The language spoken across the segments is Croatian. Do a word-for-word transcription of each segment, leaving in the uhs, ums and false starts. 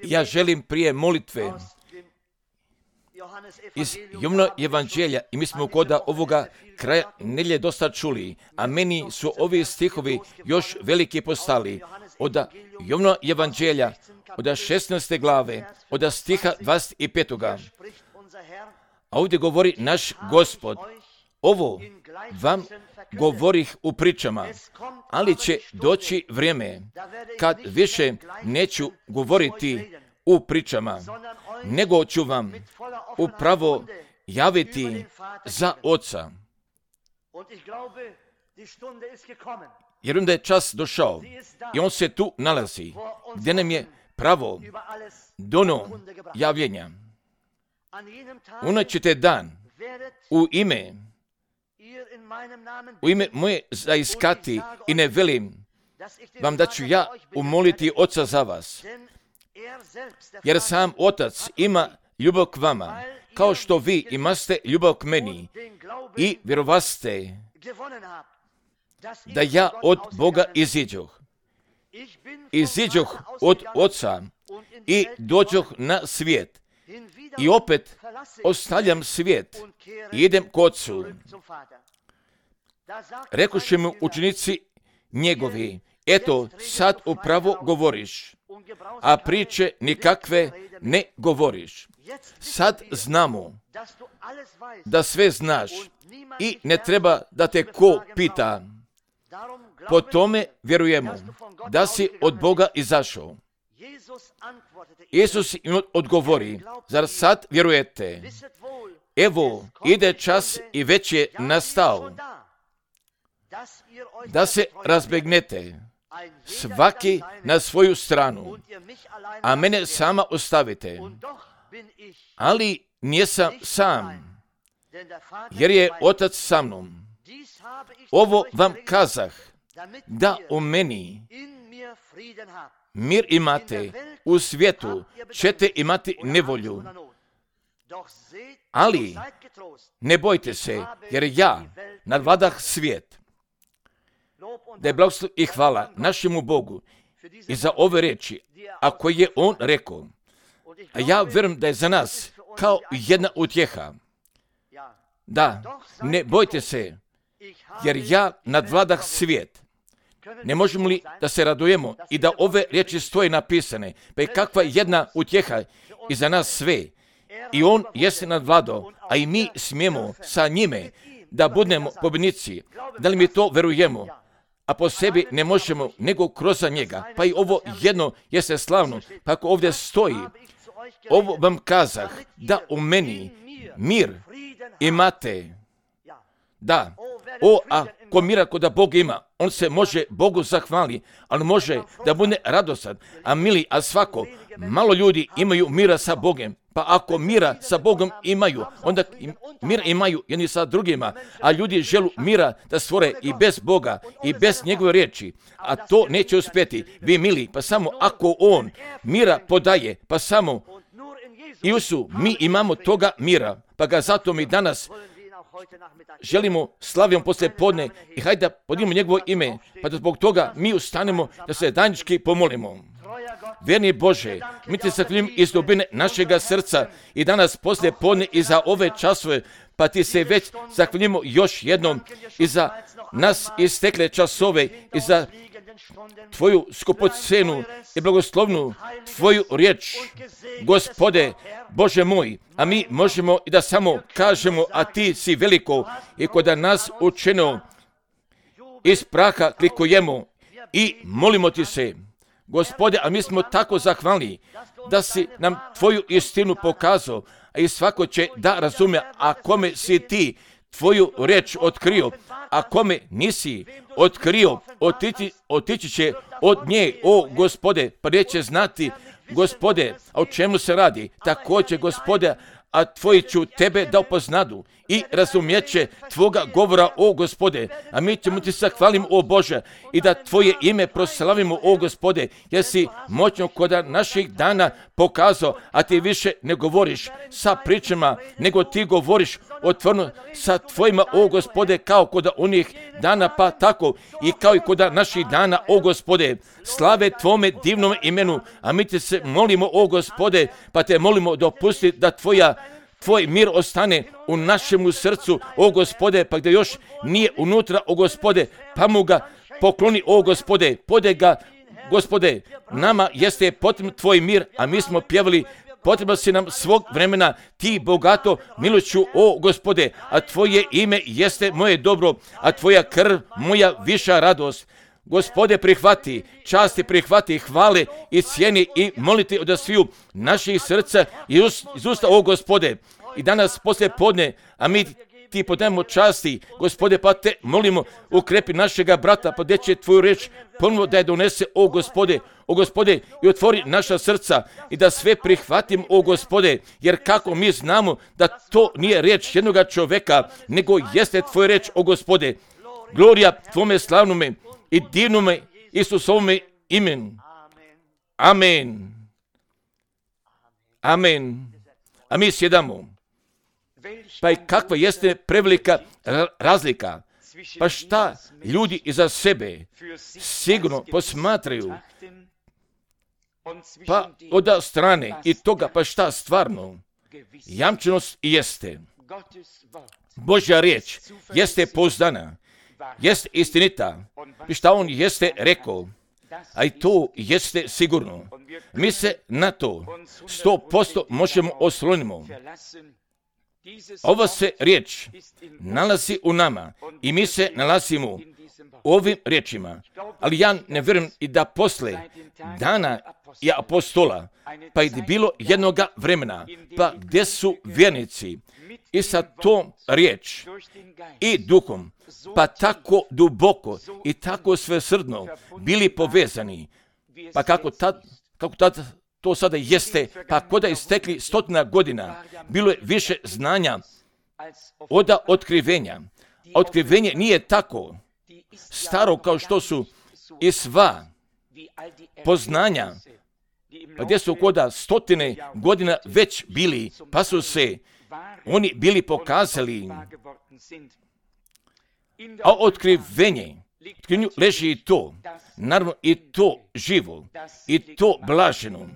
Ja želim prije molitve iz Jovana evanđelja, i mi smo kod ovoga kraja nedjelje dosta čuli, a meni su ovi stihovi još veliki postali. Od Jovana evanđelja, od šesnaeste glave, od stiha dvadeset petog. A ovdje govori naš Gospod, ovo vam govorih u pričama, ali će doći vrijeme kad više neću govoriti u pričama, nego ću vam upravo javiti za Oca. Jer onda je čas došao i on se tu nalazi, gdje nam je pravo dono javljenja. Unaćete dan u ime u ime moje zaiskati i ne velim vam da ću ja umoliti Oca za vas. Jer sam Otac ima ljubav k vama, kao što vi imate ljubav k meni i vjerovaste da ja od Boga iziđoh. Iziđoh od Oca i dođoh na svijet. I opet ostavljam svijet i idem k Ocu. Rekoše mu učenici njegovi, eto sad upravo govoriš, a priče nikakve ne govoriš. Sad znamo da sve znaš i ne treba da te ko pita. Po tome vjerujemo da si od Boga izašao. Isus im odgovori, zar sad vjerujete? Evo, ide čas i već je nastao da se razbegnete, svaki na svoju stranu, a mene sama ostavite. Ali nisam sam, jer je Otac sa mnom. Ovo vam kazah, da u meni mir imate, u svijetu ćete imati nevolju. Ali ne bojte se, jer ja nadvladah svijet. Da je blagoslov i hvala našemu Bogu i za ove riječi, a koje je On rekao. A ja vjerujem da je za nas kao jedna utjeha. Da, ne bojte se, jer ja nadvladah svijet. Ne možemo li da se radujemo i da ove riječi stoje napisane, pa je kakva jedna utjeha i za nas sve. I On jeste nadvladao, a i mi smijemo sa njime da budemo pobjednici. Da li mi to verujemo? A po sebi ne možemo nego kroz njega. Pa i ovo jedno jeste slavno, pa ako ovdje stoji, ovo vam kazah, da u meni mir imate. Da, o, a ko mira ko da Bog ima, on se može Bogu zahvali, ali može da bude radosan. A mili, a svako, malo ljudi imaju mira sa Bogom. Pa ako mira sa Bogom imaju, onda mir imaju jedni sa drugima, a ljudi želu mira da stvore i bez Boga i bez njegove riječi, a to neće uspjeti. Vi mili, pa samo ako On mira podaje, pa samo i usu, mi imamo toga mira, pa ga zato mi danas želimo slavijom poslije podne i hajde da podijemo njegovo ime, pa da zbog toga mi ustanemo da se danjički pomolimo. Vjerni Bože, mi te zahvaljujem iz dubine našega srca i danas poslije podne i za ove časove, pa ti se već zahvaljujemo još jednom i za nas istekle časove i za tvoju skupocenu i blagoslovnu tvoju riječ, Gospode, Bože moj, a mi možemo i da samo kažemo, a ti si veliko i kod nas učeno iz praha klikujemo i molimo ti se, Gospode, a mi smo tako zahvalni da si nam tvoju istinu pokazao, a i svako će da razume, a kome si ti tvoju riječ otkrio, a kome nisi otkrio, otići, otići će od nje, o Gospode, pa neće znati, Gospode, a o čemu se radi, također, Gospode, a tvoji ću tebe da upoznadu i razumijeće Tvoga govora, o Gospode. A mi ćemo Ti zahvalimo, o Bože, i da Tvoje ime proslavimo, o Gospode, jer si moćno kod naših dana pokazao, a Ti više ne govoriš sa pričama, nego Ti govoriš otvoreno sa Tvojima, o Gospode, kao kod onih dana, pa tako i kao i kod naših dana, o Gospode. Slave Tvome divnom imenu, a mi Te se molimo, o Gospode, pa Te molimo dopusti da Tvoja Tvoj mir ostane u našemu srcu, o Gospode, pa gdje još nije unutra, o Gospode, pa mu ga pokloni, o Gospode, pode ga, Gospode, nama jeste potreban Tvoj mir, a mi smo pjevali, potrebno si nam svog vremena, Ti bogato milošću, o Gospode, a Tvoje ime jeste moje dobro, a Tvoja krv moja viša radost. Gospode, prihvati, časti prihvati, hvale i cijeni i moliti od sviju naših srca i iz usta, o Gospode. I danas poslije podne, a mi Ti podajemo časti, Gospode, pa Te molimo, ukrepi našega brata, pa gdje će Tvoju riječ ponovno da je donese, o Gospode, o Gospode, i otvori naša srca i da sve prihvatim, o Gospode, jer kako mi znamo da to nije riječ jednoga čovjeka, nego jeste Tvoja riječ, o Gospode. Glorija Tvome slavnome i divnome Isusovome imenu. Amen. Amen. A mi sjedamo. Pa i kakva jeste prevelika razlika. Pa šta ljudi iza sebe sigurno posmatraju. Pa od strane i toga, pa šta stvarno jamčenost jeste. Božja riječ jeste pouzdana, jeste istinita. I šta on jeste rekao, a i to jeste sigurno. Mi se na to sto posto možemo oslonimo. Ova se riječ nalazi u nama i mi se nalazimo u ovim riječima. Ali ja ne vjerujem i da posle dana i apostola, pa i bilo jednoga vremena, pa gdje su vjernici i sa tom riječ i duhom, pa tako duboko i tako svesrdno bili povezani, pa kako tad, kako tad to sada jeste, pa koda istekli stotina godina, bilo je više znanja od otkrivenja. Otkrivenje nije tako staro kao što su i sva poznanja, pa gdje su koda stotine godina već bili, pa su se oni bili pokazali. A otkrivenje, otkrivenju leži i to, naravno i to živo, i to blaženo.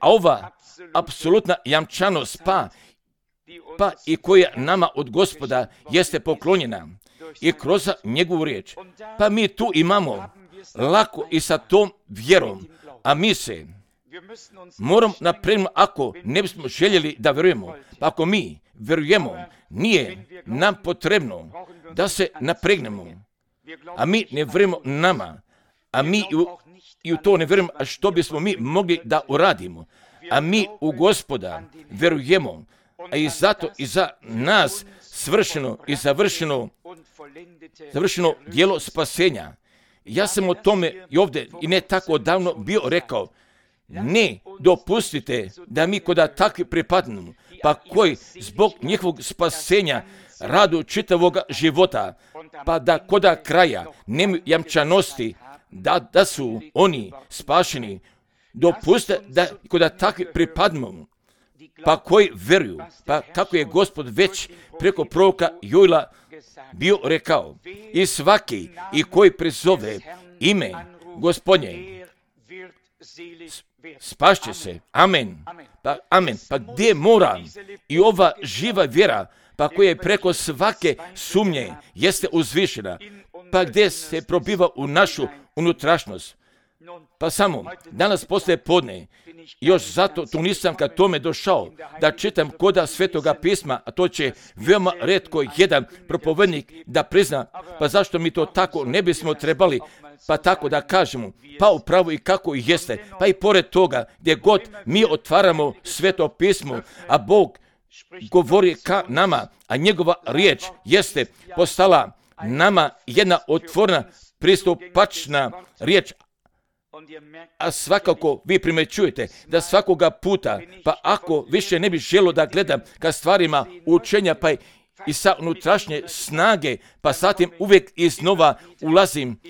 A ova apsolutna jamčanost, pa, pa i koja nama od Gospoda jeste poklonjena i kroz njegovu riječ. Pa mi tu imamo lako i sa tom vjerom, a mi se moramo napraviti, ako ne bismo željeli da vjerujemo, pa ako mi vjerujemo, nije nam potrebno da se napregnemo, a mi ne vjerujemo nama, a mi i u, i u to ne vjerujemo, a što bismo mi mogli da uradimo, a mi u Gospoda vjerujemo, a i zato i za nas svršeno i završeno, završeno djelo spasenja. Ja sam o tome i ovdje i ne tako davno bio rekao, ne dopustite da mi koda takvi pripadnemo, pa koji zbog njihovog spasenja radu čitavog života, pa da koda kraja nemaju jamčanosti da, da su oni spašeni, dopustite da koda takvi pripadnemo, pa koji vjeruju, pa kako je Gospod već preko proroka Joela bio rekao, i svaki i koji prizove ime Gospodnje spašće se. Amen. Pa, amen. Pa gdje mora i ova živa vjera, pa koja je preko svake sumnje jeste uzvišena, pa gdje se probiva u našu unutrašnost. Pa samo, danas poslije podne, još zato tu nisam kad tome došao, da čitam koda Svetoga pisma, a to će veoma retko jedan propovednik da prizna, pa zašto mi to tako ne bismo trebali, pa tako da kažemo, pa upravo i kako i jeste, pa i pored toga, gdje god mi otvaramo Sveto pismo, a Bog govori ka nama, a njegova riječ jeste postala nama jedna otvorena, pristupačna riječ. A svakako vi primjećujete da svakoga puta, pa ako više ne bi želio da gledam ka stvarima učenja, pa i sa unutrašnje snage, pa zatim uvijek iznova ulazim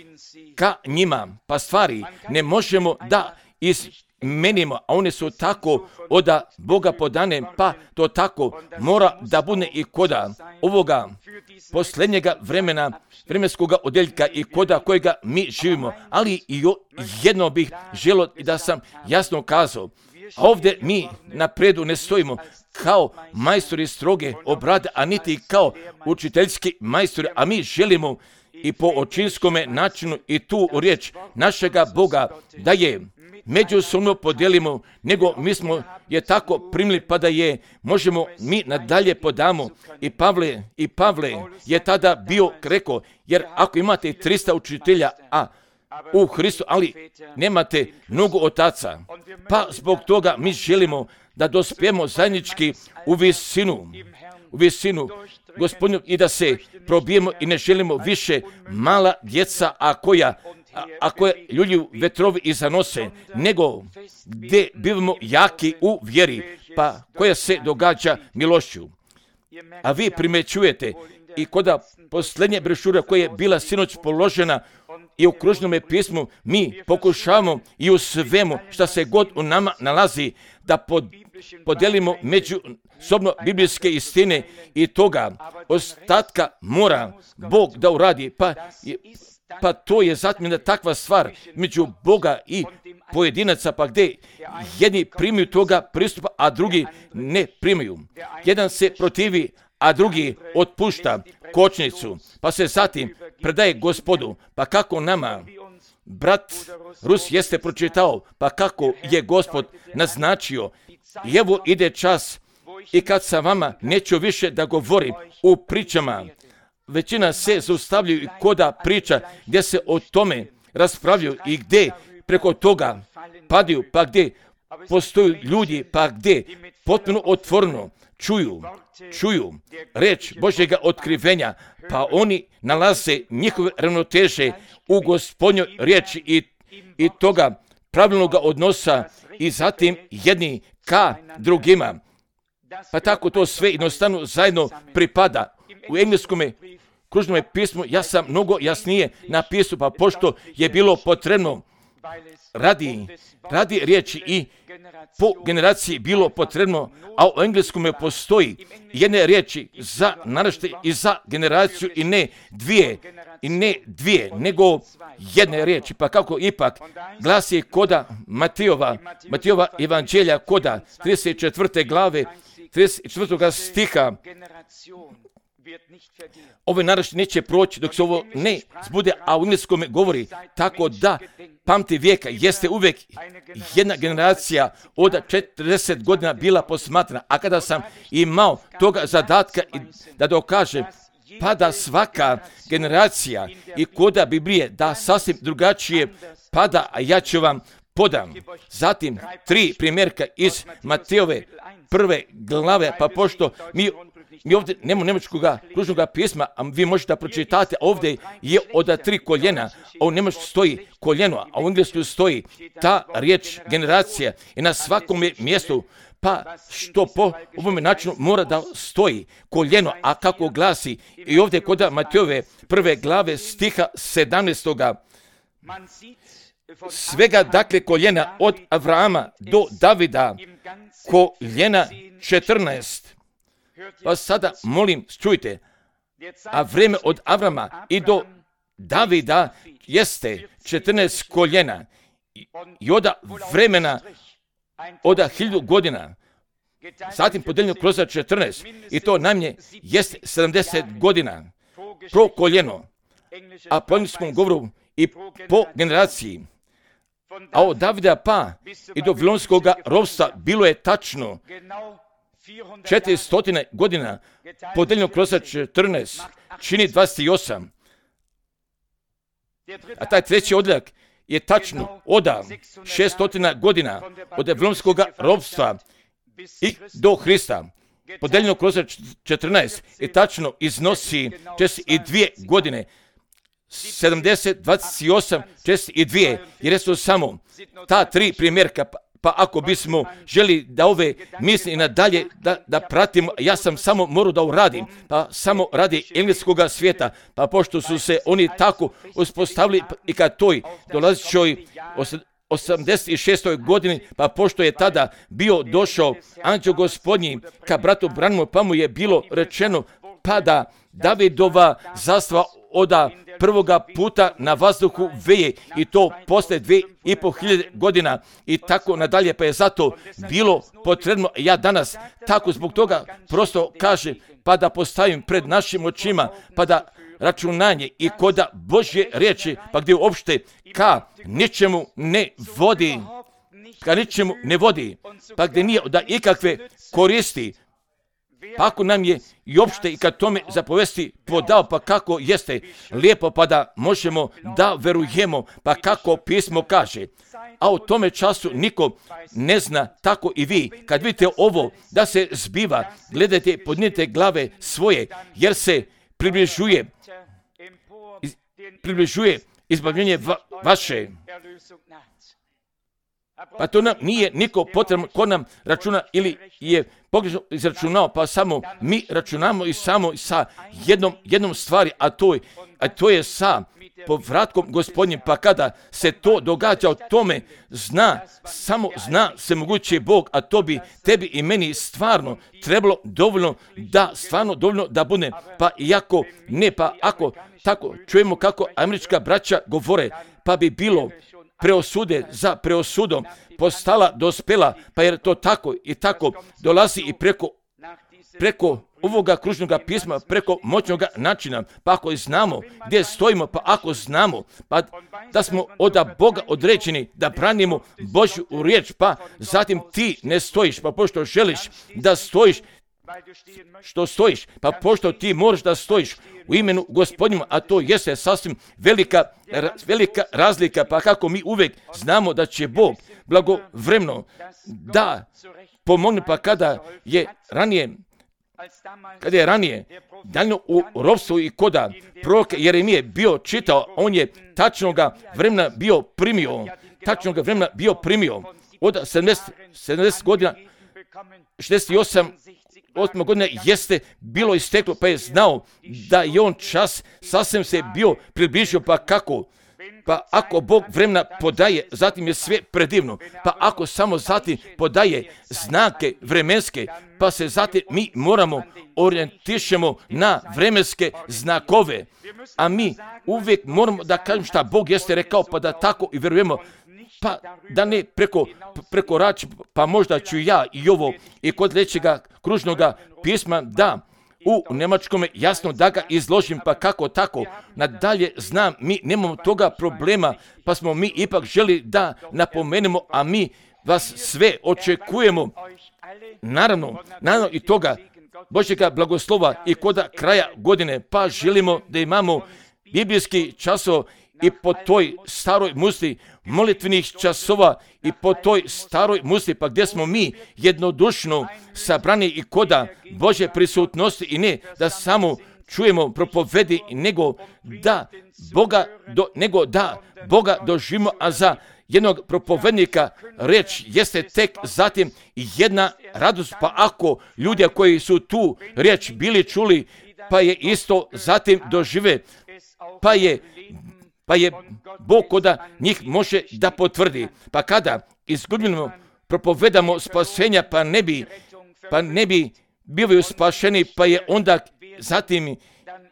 ka njima, pa stvari ne možemo da izmenimo, a one su tako od Boga podane, pa to tako mora da bude i koda ovoga posljednjega vremena, vremenskoga odjeljka i koda kojega mi živimo. Ali i jedno bih želio da sam jasno kazao, a ovdje mi napredu ne stojimo kao majstori stroge obrade, a niti kao učiteljski majstori, a mi želimo i po očinskome načinu i tu riječ našega Boga da je međusobno podijelimo, nego mi smo je tako primili pa da je možemo mi nadalje podamo. I Pavle, i Pavle je tada bio rekao, jer ako imate trista učitelja, a u Hristu, ali nemate mnogo otaca, pa zbog toga mi želimo da dospijemo zajednički u visinu, u visinu Gospodinu i da se probijemo i ne želimo više mala djeca, a koja A, ako je ljudi vetrovi i zanose, nego gdje bivamo jaki u vjeri, pa koja se događa milošću. A vi primećujete i koda posljednje brošure koja je bila sinoć položena i u kružnome pismu, mi pokušavamo i u svemu što se god u nama nalazi da pod, podelimo međusobno biblijske istine i toga ostatka mora Bog da uradi, pa Pa to je zatim takva stvar među Boga i pojedinaca, pa gdje jedni primaju toga pristupa, a drugi ne primaju. Jedan se protivi, a drugi otpušta kočnicu, pa se zatim predaje Gospodu. Pa kako nama, brat Rus jeste pročitao, pa kako je Gospod naznačio. I evo ide čas i kad sa vama neću više da govorim u pričama. Većina se zaustavljaju i koda priča gdje se o tome raspravljaju i gdje preko toga padaju, pa gdje postoju ljudi, pa gdje potpuno otvoreno čuju, čuju reč Božjega otkrivenja, pa oni nalaze njihove ravnoteže u Gospodnjoj riječi i, i toga pravilnog odnosa i zatim jedni ka drugima. Pa tako to sve jednostavno zajedno pripada. U engleskome kružnome pismu ja sam mnogo jasnije napisao, pa pošto je bilo potrebno radi, radi riječi i po generaciji bilo potrebno, a u engleskome postoji jedne riječi za naraštaj i za generaciju i ne dvije, i ne dvije, nego jedne riječi. Pa kako ipak glasi koda Matijova, Matijova evanđelja koda trideset četvrte glave, trideset četvrtog stiha, ovaj naraštaj neće proći dok se ovo ne zbude, a u engleskome govori tako da pamti vijeka jeste uvijek jedna generacija od četrdeset godina bila posmatrana, a kada sam imao toga zadatka da dokažem pa da svaka generacija i koda Biblije da sasvim drugačije pada, a ja ću vam podam. Zatim tri primjerka iz Matejove prve glave, pa pošto mi Mi ovdje nemamo njemačkog kružnog pisma, a vi možete pročitati, ovdje je od tri koljena, a u njemačkom stoji koljeno, a u engleskom stoji ta riječ generacija i na svakom mjestu, pa što po ovom načinu mora da stoji koljeno, a kako glasi i ovdje kod Matejove prve glave stiha sedamnaestoga. Svega dakle koljena od Avrama do Davida, koljena četrnaest. Pa sada molim, čujte, a vrijeme od Avrama i do Davida jeste četrnaest koljena i od vremena od hiljadu godina, zatim podeljeno kroz četrnaest i to najmanje jeste sedamdeset godina pro koljeno, a po engleskom govoru i po generaciji. A od Davida pa i do Vavilonskog ropstva bilo je tačno četiristo godina, podeljeno kroz četrnaest, čini dvadeset osam. A taj treći odjeljak je tačno od šesto godina od Vavilonskog ropstva i do Hrista. Podeljeno kroz četrnaest i tačno iznosi četrdeset dvije godine. sedamdeset, dvadeset osam, četrdeset dvije, jer su samo ta tri primjerka, Pa ako bismo želi da ove misli i nadalje da, da pratimo, ja sam samo morao da uradim, pa samo radi engleskog svijeta, pa pošto su se oni tako uspostavili i ka toj dolazećoj osamdeset šestoj godini, pa pošto je tada bio došao anđeo gospodnji ka bratu Branhamu, pa mu je bilo rečeno pa da Davidova zastava oda prvoga puta na vazduhu veje i to posle dve i po hiljade godina i tako nadalje, pa je zato bilo potrebno, ja danas tako zbog toga prosto kažem, pa da postavim pred našim očima, pa da računanje i koda Božje riječi, pa gdje uopšte ka ničemu ne vodi, ka ničemu ne vodi, pa gdje nije da ikakve koristi, pa ako nam je i opšte i kad tome zapovesti podao, pa kako jeste lijepo, pa da možemo da verujemo, pa kako pismo kaže. A u tome času niko ne zna, tako i vi. Kad vidite ovo da se zbiva, gledajte, podnijete glave svoje, jer se približuje, iz, približuje izbavljenje va, vaše. Pa to nam nije niko potrebno ko nam računa ili je pogrešno izračunao, pa samo mi računamo i samo sa jednom, jednom stvari, a to je, a to je sa povratkom Gospodnjim, pa kada se to događa, o tome zna, samo zna se moguće Bog, a to bi tebi i meni stvarno trebalo dovoljno da, stvarno dovoljno da bude, pa iako ne, pa ako tako čujemo kako američka braća govore, pa bi bilo preosude za preosudom postala dospela, pa jer to tako i tako dolazi i preko, preko ovoga kružnoga pisma, preko moćnoga načina, pa ako znamo gdje stojimo, pa ako znamo pa da smo od Boga određeni da branimo Božju riječ, pa zatim ti ne stojiš, pa pošto želiš da stojiš, što stojiš, pa pošto ti moraš da stojiš u imenu Gospodnjima, a to jeste sasvim velika, velika razlika, pa kako mi uvijek znamo da će Bog blagovremno da pomogne, pa kada je ranije kada je ranije daljno u ropstvu i koda proroka Jeremije bio čitao, on je tačnoga vremena bio primio, tačnoga vremena bio primio od sedamdeset godina, šezdeset osam osma godina jeste bilo isteklo, pa je znao da je on čas sasvim se bio približio, pa kako? Pa ako Bog vremena podaje, zatim je sve predivno, pa ako samo zatim podaje znake vremenske, pa se zatim mi moramo orijentišemo na vremenske znakove, a mi uvijek moramo da kažem šta Bog jeste rekao, pa da tako i verujemo, pa da ne preko, preko rač, pa možda ću ja i ovo i kod sljedećega kružnoga pisma da u njemačkome jasno da ga izložim, pa kako tako nadalje znam, mi nemamo toga problema, pa smo mi ipak želi da napomenemo, a mi vas sve očekujemo, naravno, naravno i toga Božjega blagoslova i koda kraja godine, pa želimo da imamo biblijski časov i po toj staroj musli molitvenih časova i po toj staroj musli, pa gdje smo mi jednodušno sabrani i koda Božje prisutnosti i ne da samo čujemo propovedi, nego da Boga, do, nego da Boga doživimo, a za jednog propovednika reč jeste tek zatim jedna radost, pa ako ljudi koji su tu riječ bili čuli, pa je isto zatim dožive, pa je pa je Bog koda njih može da potvrdi. Pa kada izgubljeno propovedamo spasenja, pa ne bi, pa ne bi bili spašeni, pa je onda zatim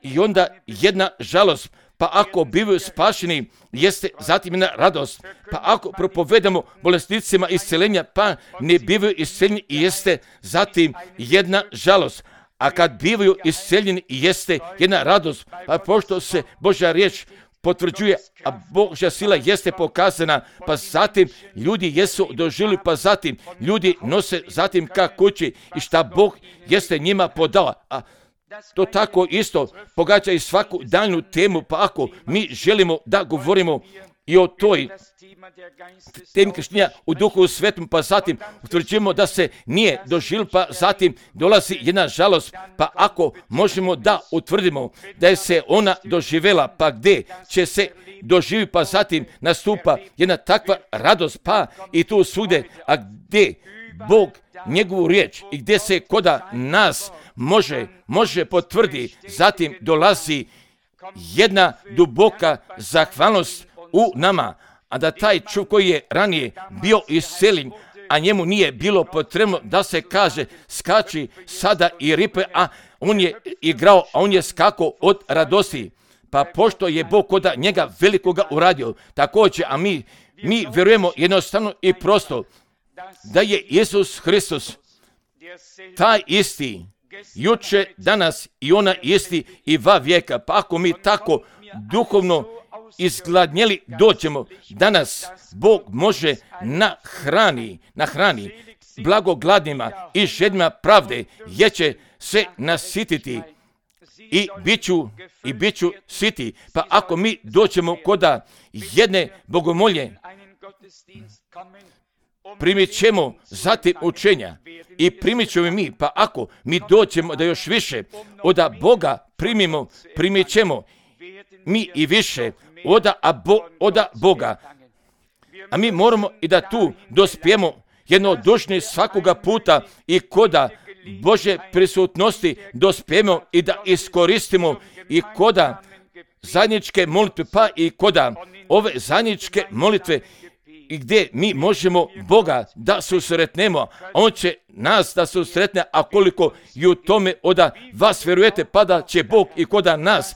i onda jedna žalost. Pa ako bivaju spašeni, jeste zatim jedna radost. Pa ako propovedamo bolesnicima isceljenja, pa ne bivaju isceljeni, jeste zatim jedna žalost. A kad bivaju isceljeni, jeste jedna radost. Pa pošto se Božja riječ potvrđuje, a Božja sila jeste pokazana, pa zatim ljudi jesu doživjeli, pa zatim ljudi nose zatim ka kući i šta Bog jeste njima podala. A to tako isto pogađa i svaku daljnu temu, pa ako mi želimo da govorimo i o toj temi krštenja u Duhu Svetom, pa zatim utvrđujemo da se nije doživjelo, pa zatim dolazi jedna žalost, pa ako možemo da utvrdimo da je se ona doživjela, pa gdje će se doživjeti, pa zatim nastupa jedna takva radost, pa i tu svugdje, a gdje Bog njegovu riječ i gdje se koda nas može, može potvrdi, zatim dolazi jedna duboka zahvalnost u nama, a da taj čovjek koji je ranije bio isceljen, a njemu nije bilo potrebno da se kaže skači sada i ripe, a on je igrao, a on je skakao od radosti. Pa pošto je Bog koda njega velikoga uradio, također, a mi, mi vjerujemo jednostavno i prosto da je Isus Hristos taj isti, juče, danas i ona isti i va vijeka. Pa ako mi tako duhovno izgladnjeli dođemo, danas Bog može nahrani, nahrani blagogladnima i žednima pravde, jer će se nasititi i bit ću, i bit ću siti. Pa ako mi dođemo koda jedne bogomolje, primit ćemo zatim učenja i primit ćemo mi, pa ako mi dođemo da još više od Boga primimo, primit ćemo mi i više od Boga. A mi moramo i da tu dospijemo jednodušni svakoga puta i koda Bože prisutnosti dospijemo i da iskoristimo i koda zajedničke molitve, pa i koda ove zajedničke molitve i gdje mi možemo Boga da susretnemo, On će nas da susretne, a koliko i u tome oda vas vjerujete, pa da će Bog i koda nas,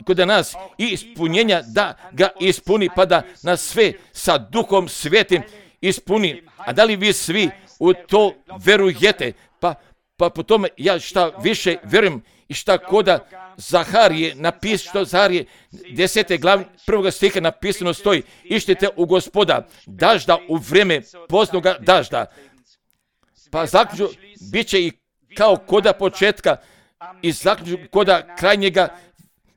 koda nas i ispunjenja da ga ispuni, pa da nas sve sa Duhom Svetim ispuni. A da li vi svi u to verujete? Pa, pa po tome ja šta više vjerujem i šta koda Zaharije napisano, što Zaharije desete glavi prvoga stiha napisano stoji: ištite u Gospoda dažda u vrijeme poznoga dažda. Pa zaključno bit će i kao koda početka i zaključno koda krajnjega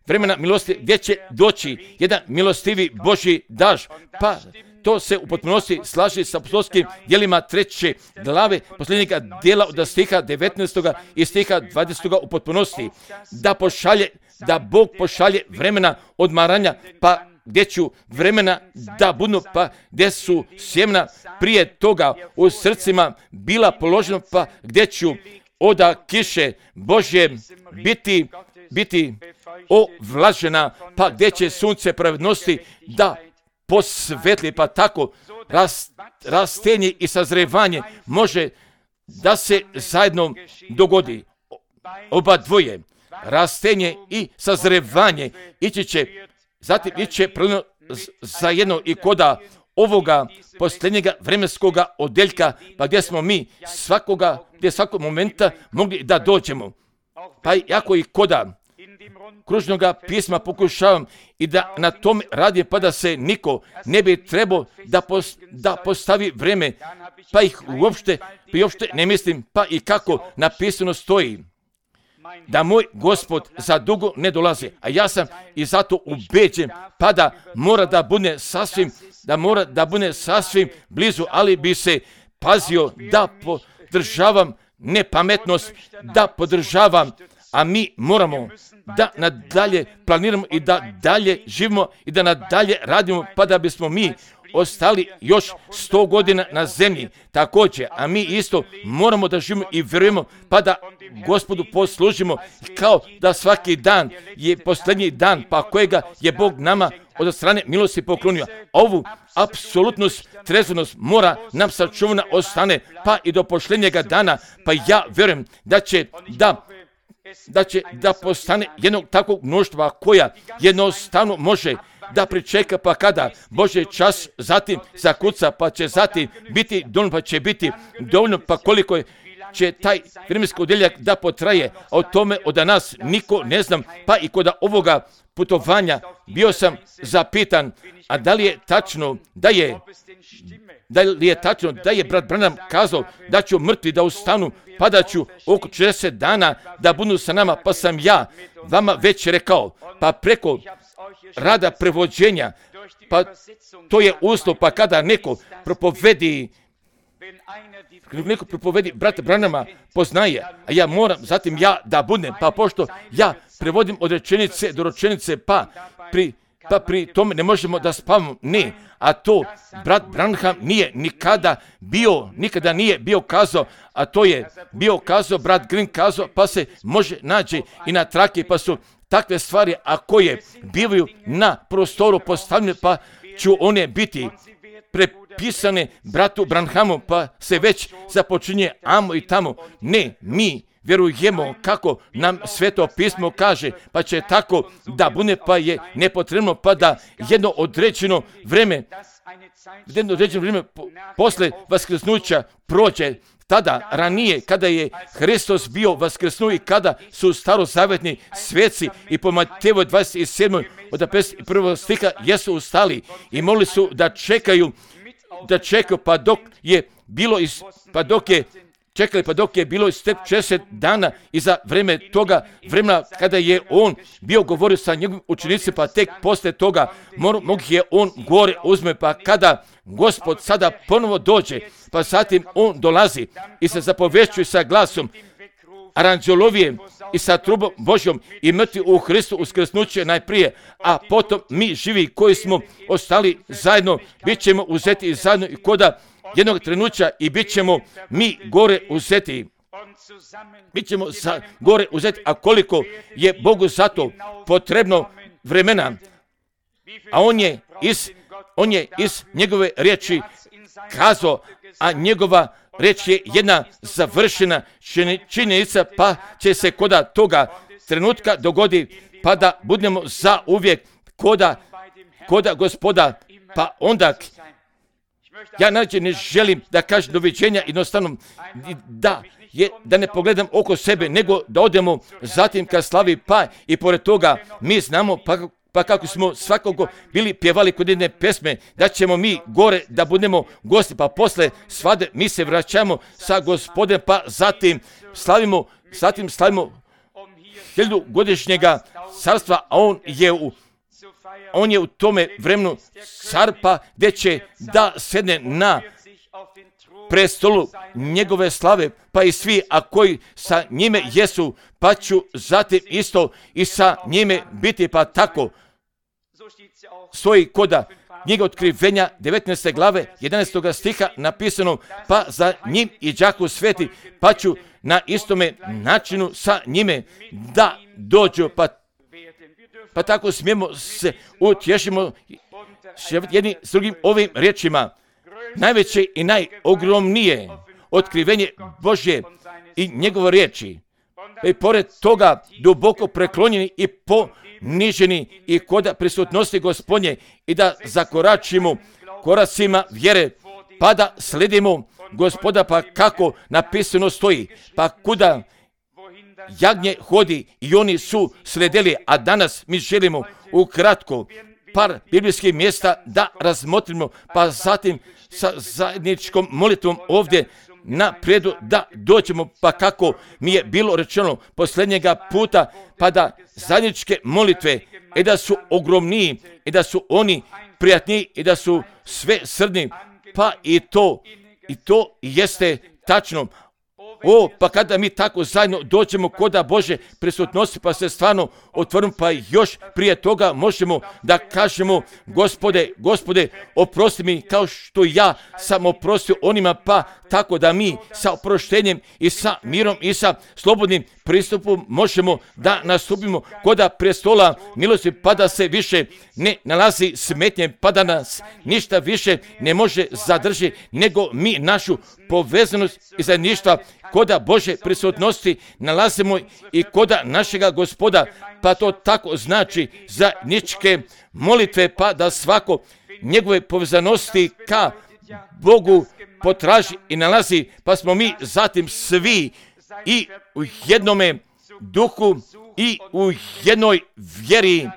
vremena milosti, gdje će doći jedan milostivi Božji daž. Pa to se u potpunosti slaže sa apostolskim djelima treće glave posljednjega dijela od stiha devetnaestog i stiha dvadesetog u potpunosti. Da pošalje, da Bog pošalje vremena odmaranja, pa gdje ću vremena da budu, pa gdje su sjemena prije toga u srcima bila položena, pa gdje ću oda kiše Božje biti, biti ovlažena, pa gdje će sunce pravednosti da posvetli, pa tako rast, rastenje i sazrevanje može da se zajedno dogodi. Oba dvoje, rastenje i sazrevanje, ići će, zatim ići će zajedno i koda ovoga posljednjega vremenskoga odeljka, pa gdje smo mi svakoga, gdje svakog momenta mogli da dođemo. Pa jako i koda kružnoga pisma pokušavam i da na tom radi, pa da se niko ne bi trebao da, pos, da postavi vreme, pa ih uopšte, pa uopšte ne mislim, pa i kako napisano stoji da moj Gospod za dugo ne dolazi, a ja sam i zato ubeđen, pa da mora da bude sasvim, da mora da bude sasvim blizu, ali bi se pazio da podržavam nepametnost, da podržavam, a mi moramo da nadalje planiramo i da dalje živimo i da nadalje radimo, pa da bismo mi ostali još sto godina na zemlji također, a mi isto moramo da živimo i vjerujemo, pa da Gospodu poslužimo, kao da svaki dan je posljednji dan, pa kojega je Bog nama od strane milosti poklonio. Ovu apsolutnost, trezvenost mora nam sačuvana ostane, pa i do posljednjega dana, pa ja vjerujem da će da da će da postane jednog takvog mnoštva koja jednostavno može da pričeka, pa kada Božji čas zatim zakuca, pa će zatim biti dovoljno, pa će biti dovoljno, pa koliko će taj vremenski odjeljak da potraje, a o tome od nas niko ne znam, pa i kod ovoga putovanja bio sam zapitan, a da li je tačno da je da li je tačno da je brat Branham kazao da ću mrtvi da ustanu, pa da ću oko četrdeset dana da budu sa nama, pa sam ja vama već rekao, pa preko rada prevođenja, pa to je uslov, pa kada neko propovedi, neko propovedi brata Branhama poznaje, a ja moram zatim ja da budem, pa pošto ja prevodim od rečenice do rečenice, pa pri, pa pri tome ne možemo da spavamo, ne, a to brat Branham nije nikada bio, nikada nije bio kazao, a to je bio kazao, brat Green kazao, pa se može naći i na trake, pa su takve stvari, a koje bivaju na prostoru postavljene, pa ću one biti prepisane bratu Branhamu, pa se već započinje amo i tamo. Ne, mi vjerujemo kako nam Sveto pismo kaže, pa će tako da bude, pa je nepotrebno, pa da jedno određeno vreme, jedno određeno vreme posle vaskrsnuća prođe. Tada, ranije, kada je Hristos bio vaskrsnuo i kada su starozavjetni sveci i po Mateju dvadeset sedam od pedeset prvog stiha jesu ustali i molili su da čekaju, da čekaju pa dok je bilo, iz, pa dok je čekali pa dok je bilo istek šezdeset dana i za vreme toga vremena kada je on bio govorio sa njegovim učenicima, pa tek posle toga mogu je on gore uzme, pa kada Gospod sada ponovo dođe, pa zatim on dolazi i se zapovešćuje sa glasom aranđelovije i sa trubom Božjom i mrtvi u Hristu uskrsnuće najprije, a potom mi živi koji smo ostali zajedno, bit ćemo uzeti zajedno i koda jednog trenutka i bit ćemo mi gore uzeti. Bit ćemo za gore uzeti, a koliko je Bogu za to potrebno vremena, a on je iz, on je iz njegove riječi kazao, a njegova riječ je jedna završena činjenica, pa će se koda toga trenutka dogodi, pa da budemo za uvijek koda, koda Gospoda, pa onda ja nađe ne želim da kažem doviđenja, jednostavno da, je, da ne pogledam oko sebe, nego da odemo zatim ka slavi, pa i pored toga mi znamo, pa, pa kako smo svakako bili pjevali kod jedne pesme, da ćemo mi gore da budemo gosti, pa posle svade mi se vraćamo sa Gospodem, pa zatim slavimo, zatim slavimo hiljadu godišnjega carstva, a on je u On je u tome vremenu car, pa gdje će da sedne na prestolu njegove slave, pa i svi, a koji sa njime jesu, pa ću zatim isto i sa njime biti, pa tako stoji koda knjiga Otkrivenja devetnaeste glave jedanaestog stiha napisano, pa za njim i đaku sveti, pa ću na istome načinu sa njime da dođu, pa Pa tako smijemo se utješimo jednim s drugim ovim riječima. Najveće i najogromnije otkrivenje Božje i njegove riječi. I pored toga duboko preklonjeni i poniženi i koda prisutnosti Gospodnje i da zakoračimo koracima vjere, pa da sledimo Gospoda, pa kako napisano stoji, pa kuda jagnje hodi i oni su sledili, a danas mi želimo ukratko par biblijskih mjesta da razmotrimo, pa zatim sa zajedničkom molitvom ovdje napredu da dođemo, pa kako mi je bilo rečeno posljednjega puta, pa da zajedničke molitve i da su ogromniji i da su oni prijatniji i da su sve srdni, pa i to, i to jeste tačno. O, pa kada mi tako zajedno dođemo koda Bože prisutnosti, pa se stvarno otvorimo, pa još prije toga možemo da kažemo, Gospode, Gospode, oprosti mi kao što ja sam oprostio onima, pa tako da mi sa oproštenjem i sa mirom i sa slobodnim pristupom možemo da nastupimo koda prestola milosti, pa da se više ne nalazi smetnje, pa da nas ništa više ne može zadržati, nego mi našu povezanost i zajedništva koda Bože prisutnosti nalazimo i koda našega Gospoda, pa to tako znači zajedničke molitve, pa da svako njegove povezanosti ka Bogu potraži i nalazi, pa smo mi zatim svi i u jednome duhu i u jednoj vjeri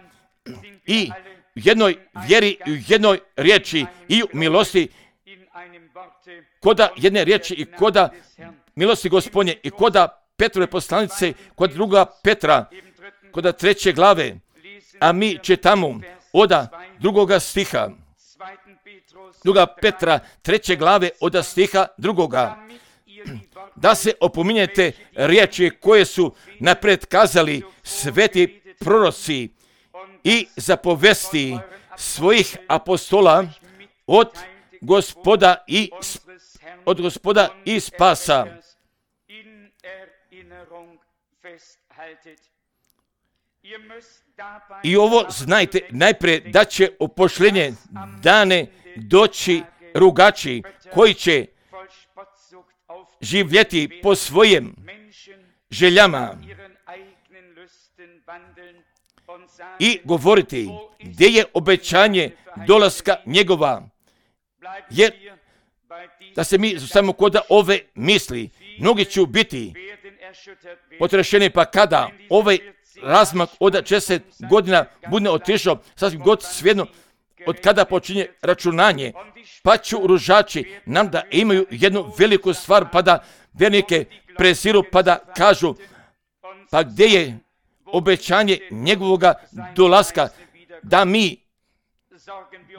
i u jednoj vjeri i u jednoj riječi i u milosti koda jedne riječi i koda milosti Gospodnje i koda Petrove poslanice, kod druga Petra, koda treće glave, a mi čitamo od drugoga stiha. Druga Petra, treće glave, od stiha drugoga. Da se opominjete riječi koje su napred kazali sveti proroci i zapovesti svojih apostola od Gospoda i od Gospoda i spasa. I ovo znajte najprije da će u pošljenje dane doći rugači koji će živjeti po svojim željama i govoriti gdje je obećanje dolaska njegova. Jer da se mi samo kod ove misli, mnogi će biti potrešeni, pa kada ovaj razmak od šezdeset godina bude otišao, sasvim god svejedno od kada počinje računanje, pa će ružači nam da imaju jednu veliku stvar, pa da vjernike preziru, pa da kažu, pa gdje je obećanje njegovoga dolaska, da mi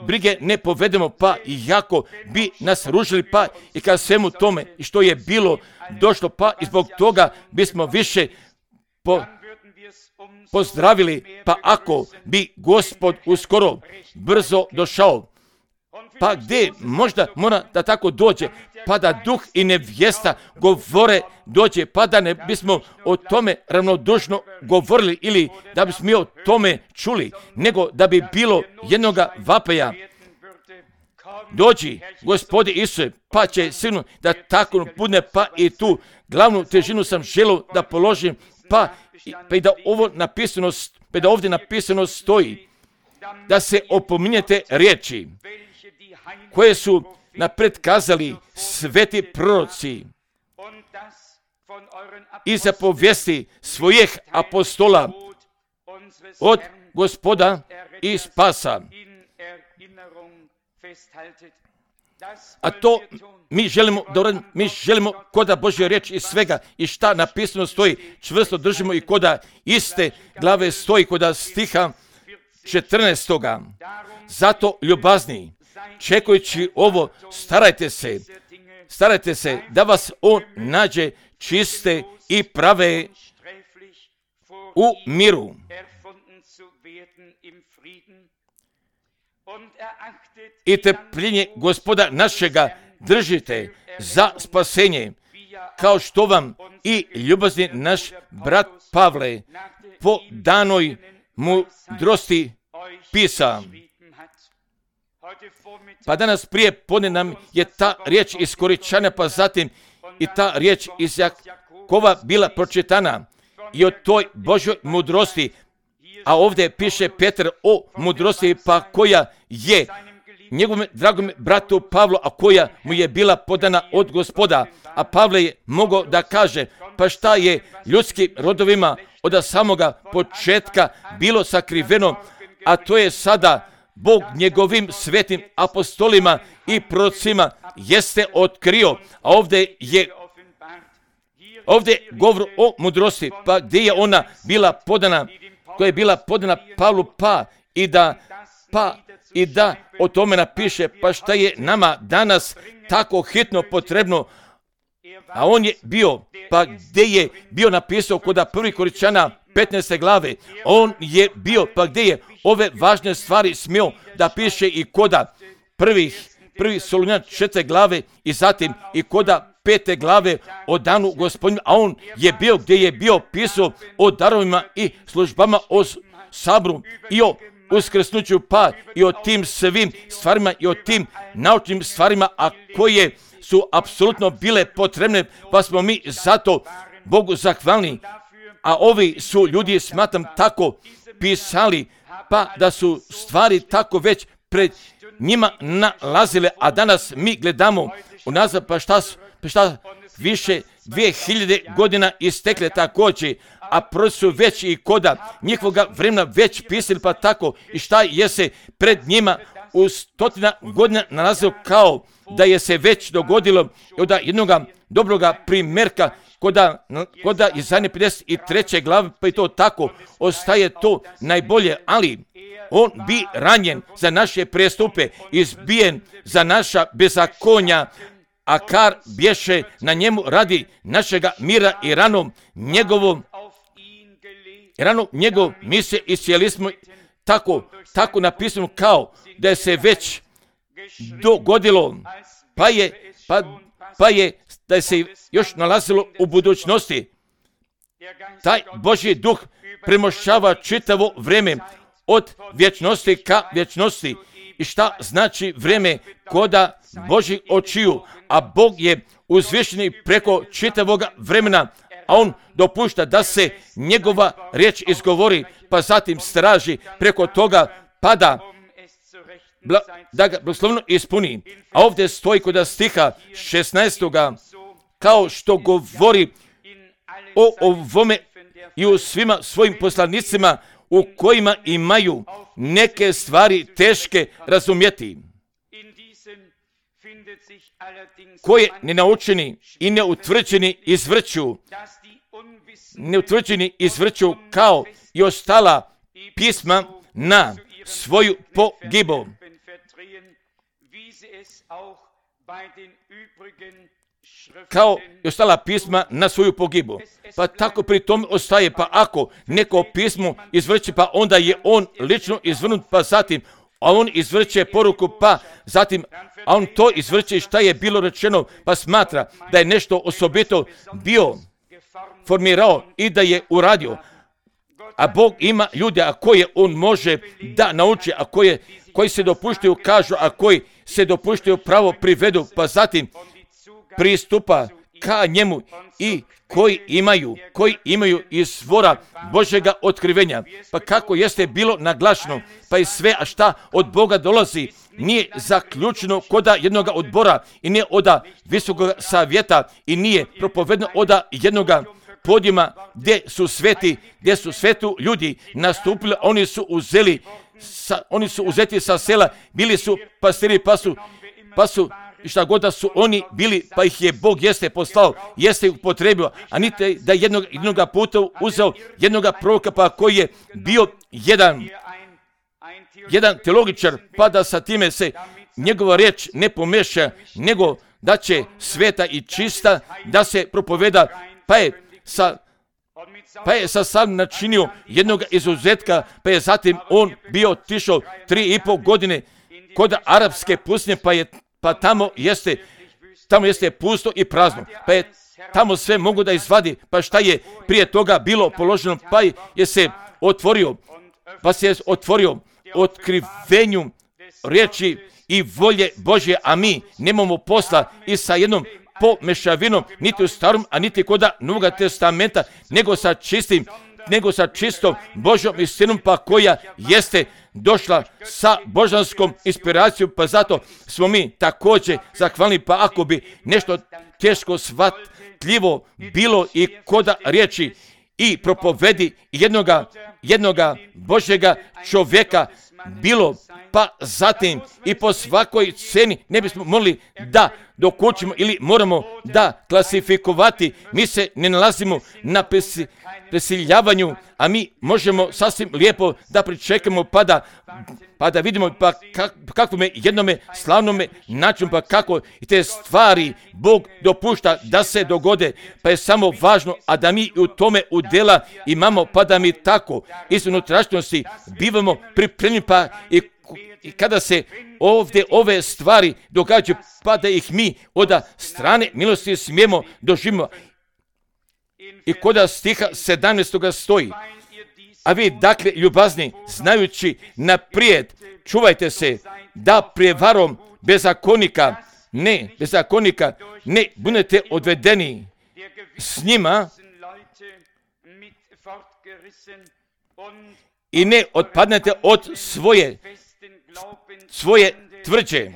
brige ne povedemo, pa iako bi nas ružili, pa i kad svemu tome i što je bilo došlo, pa i zbog toga bismo više po, pozdravili, pa ako bi Gospod uskoro brzo došao, pa gdje možda mora da tako dođe, pa da duh i nevjesta govore dođe, pa da ne bismo o tome ravnodušno govorili ili da bismo mi o tome čuli, nego da bi bilo jednoga vapaja. Dođi, Gospodi Isuse, pa će sigurno da tako bude, pa i tu glavnu težinu sam želio da položim, pa, pa i da ovo napisano, pa da ovdje napisano stoji, da se opominjete riječi koje su napred kazali sveti proroci i zapovijesti svojih apostola od Gospoda i spasa. A to mi želimo da uradimo, mi želimo koda Božja riječ i svega i šta napisano stoji, čvrsto držimo i koda iste glave stoji, koda stiha četrnaestoga. Zato ljubazni, čekajući ovo, starajte se, starajte se da vas on nađe čiste i prave u miru. I trpljenje Gospoda našega držite za spasenje, kao što vam i ljubazni naš brat Pavle po danoj mudrosti pisa. Pa danas prije podne nam je ta riječ iz Koričana, pa zatim i ta riječ iz Jakova bila pročitana i o toj Božoj mudrosti. A ovdje piše Petar o mudrosti, pa koja je njegovom dragom bratu Pavlu, a koja mu je bila podana od Gospoda. A Pavle je mogao da kaže, pa šta je ljudskim rodovima od samoga početka bilo sakriveno, a to je sada Bog njegovim svetim apostolima i prorocima jeste otkrio. A ovdje je ovdje govor o mudrosti, pa gdje je ona bila podana, koja je bila podana Pavlu, pa i da pa i da o tome napiše, pa šta je nama danas tako hitno potrebno. A on je bio, pa gdje je bio napisao kod prvi Koričana petnaeste glave, on je bio, pa gdje je ove važne stvari smio da piše i koda prvih, prvi Solunjan četvrte glave i zatim i koda pete glave o danu Gospodinu, a on je bio gdje je bio pisao o darovima i službama, o sabru i o uskrsnuću, pa i o tim svim stvarima i o tim naučnim stvarima, a koje su apsolutno bile potrebne, pa smo mi zato Bogu zahvalni. A ovi su ljudi, smatram, tako pisali, pa da su stvari tako već pred njima nalazile, a danas mi gledamo unazad, pa šta, pa šta više dvije hiljade godina istekle također, a prvi su već i koda njihovoga vremena već pisali, pa tako i šta je se pred njima u stotina godina nalazilo, kao da je se već dogodilo od jednoga dobroga primjerka koda, koda iz zadnje pedeset treće glave, pa i to tako ostaje to najbolje, ali on bi ranjen za naše prestupe, izbijen za naša bezakonja, a kar bješe na njemu radi našega mira i ranom njegovom, ranom njegov mi se iscijeli smo tako, tako napisano kao da se već dogodilo, pa je, pa, pa je da se još nalazilo u budućnosti. Taj Božji duh premošćava čitavo vrijeme od vječnosti ka vječnosti. I šta znači vrijeme koda Božih očiju, a Bog je uzvišeni preko čitavoga vremena, a on dopušta da se njegova riječ izgovori, pa zatim straži preko toga pada bla, da ga blagoslovno ispuni. A ovdje stoji kod stiha šesnaestoga kao što govori o ovome i u svima svojim poslanicima u kojima imaju neke stvari teške razumjeti, koje nenaučeni i neutvrđeni izvrću, neutvrđeni izvrću kao i ostala pisma na svoju pogibu. Kao i ostala pisma na svoju pogibu. Pa tako pri tom ostaje, pa ako neko pismo izvrće, pa onda je on lično izvrnut, pa zatim, a on izvrće poruku, pa zatim, a on to izvrće šta je bilo rečeno, pa smatra da je nešto osobito bio formirao i da je uradio. A Bog ima ljude, a koje on može da nauči, a koje, koji se dopuštaju kažu, a koji se dopuštaju pravo privedu, pa zatim pristupa ka njemu i koji imaju, koji imaju izvora Božjega otkrivenja. Pa kako jeste bilo naglašeno, pa i sve, a šta od Boga dolazi, nije zaključeno koda jednoga odbora i nije oda visokog savjeta i nije propovedno oda jednoga podijuma gdje su sveti, gdje su svetu ljudi nastupili, oni su uzeli, sa, oni su uzeti sa sela, bili su pastiri, pa su, pa su i šta god da su oni bili, pa ih je Bog jeste poslao, jeste ih upotrebio, a niti da jednog, jednoga puta uzeo jednoga proroka, pa koji je bio jedan, jedan teologičar, pa da sa time se njegova riječ ne pomeša, nego da će sveta i čista da se propoveda, pa je sa Pa je sa sam načinio jednog izuzetka, pa je zatim on bio otišao tri i pol godine kod arapske pustinje, pa je pa tamo jeste, tamo jeste pusto i prazno, pa je tamo sve mogu da izvadi, pa šta je prije toga bilo položeno, pa je se otvorio, pa se je otvorio otkrivenju riječi i volje Božje, a mi nemamo posla i sa jednom pomešavinom, niti u starom, a niti kod Novoga testamenta, nego sa čistim, nego sa čistom Božjom istinom, pa koja jeste došla sa božanskom inspiracijom, pa zato smo mi također zahvalni, pa ako bi nešto teško shvatljivo bilo i koda riječi i propovedi jednoga, jednoga Božjega čovjeka bilo, pa zatim i po svakoj ceni ne bismo mogli da dokučimo ili moramo da klasifikovati. Mi se ne nalazimo na pesi, presiljavanju, a mi možemo sasvim lijepo da pričekamo pa da, pa da vidimo pa kak, kakvome jednome slavnome načinu, pa kako i te stvari Bog dopušta da se dogode, pa je samo važno, a da mi u tome udjela imamo, pa da mi tako iz unutrašnjosti bivamo pripremljeni, pa i I kada se ovdje ove stvari događaju, pa da ih mi od strane milosti smijemo doživimo. I kod stiha sedamnaestoga stoji, a vi dakle ljubazni, znajući naprijed, čuvajte se da prijevarom bezakonika, ne, bezakonika, ne budete odvedeni s njima i ne otpadnete od svoje svoje tvrđe.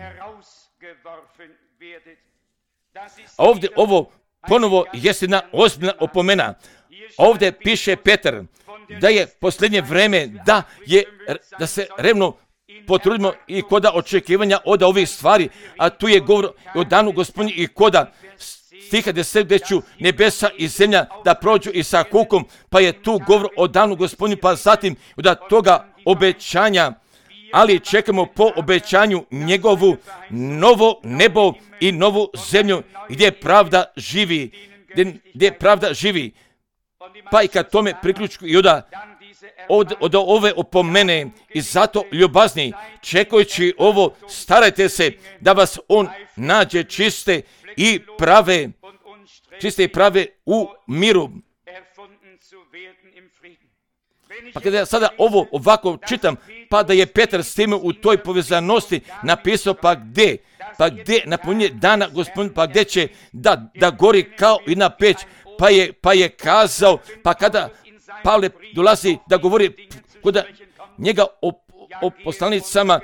A ovdje ovo ponovo jest jedna ozbiljna opomena. Ovdje piše Petar da je posljednje vrijeme da je da se revno potrudimo i koda očekivanja od ovih stvari, a tu je govor o danu Gospodnji i koda stiha deset gdje ću nebesa i zemlja da prođu i sa kukom, pa je tu govor o danu Gospodnji, pa zatim od toga obećanja ali čekamo po obećanju njegovu novo nebo i novu zemlju gdje pravda živi, gdje, gdje pravda živi. Pa i kad tome priključku Juda od, od ove opomene i zato ljubazni, čekajući ovo, starajte se da vas on nađe čiste i prave, čiste i prave u miru. Pa kada ja sada ovo ovako čitam, pa da je Petar s time u toj povezanosti napisao, pa gdje, pa gdje napunje dana Gospodin, pa gdje će da, da gori kao i na peć, pa je, pa je kazao, pa kada Pavle dolazi da govori kod njega o, o poslanicama,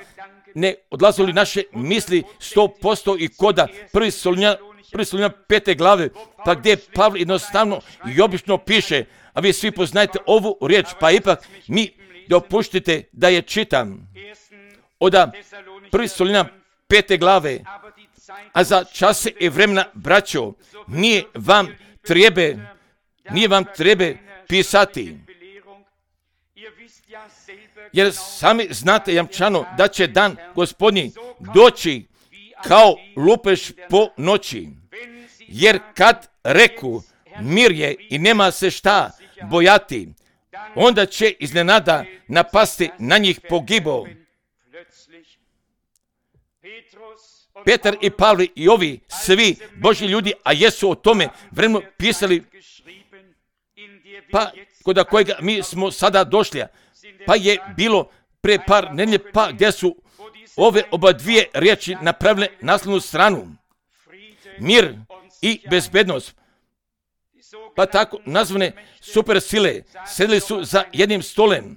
ne odlazili naše misli sto posto i koda prvi Solunja, prvi Solunja pete glave, pa gdje Pavle jednostavno i obično piše, a vi svi poznajete ovu riječ, pa ipak mi dopuštite da je čitam. Od prvi Solunja pete glave, a za čase i vremena, braćo, nije vam trebe, nije vam trebe pisati. Jer sami znate jamčano da će dan Gospodnji doći kao lupež po noći. Jer kad reku mir je i nema se šta bojati, onda će iznenada napasti na njih pogibo. Petar i Pavle i ovi svi Božji ljudi, a jesu o tome vremenu pisali, pa kod kojega mi smo sada došli, pa je bilo pre par nedelje, pa gdje su ove oba dvije riječi napravile naslovnu stranu. Mir i bezbednost. Pa tako nazvane super sile sedeli su za jednim stolem.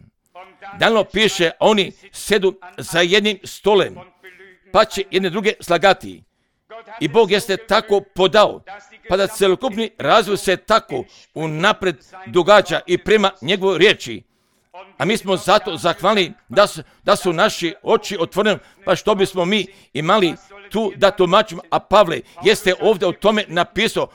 Dalno piše, oni sedu za jednim stolem, pa će jedne druge slagati. I Bog jeste tako podao, pa da celokupni razvoj se tako unapred događa i prema njegovoj riječi. A mi smo zato zahvalni da su, da su naši oči otvoreni, pa što bismo mi imali tu da tumačimo, a Pavle jeste ovdje o tome napisao,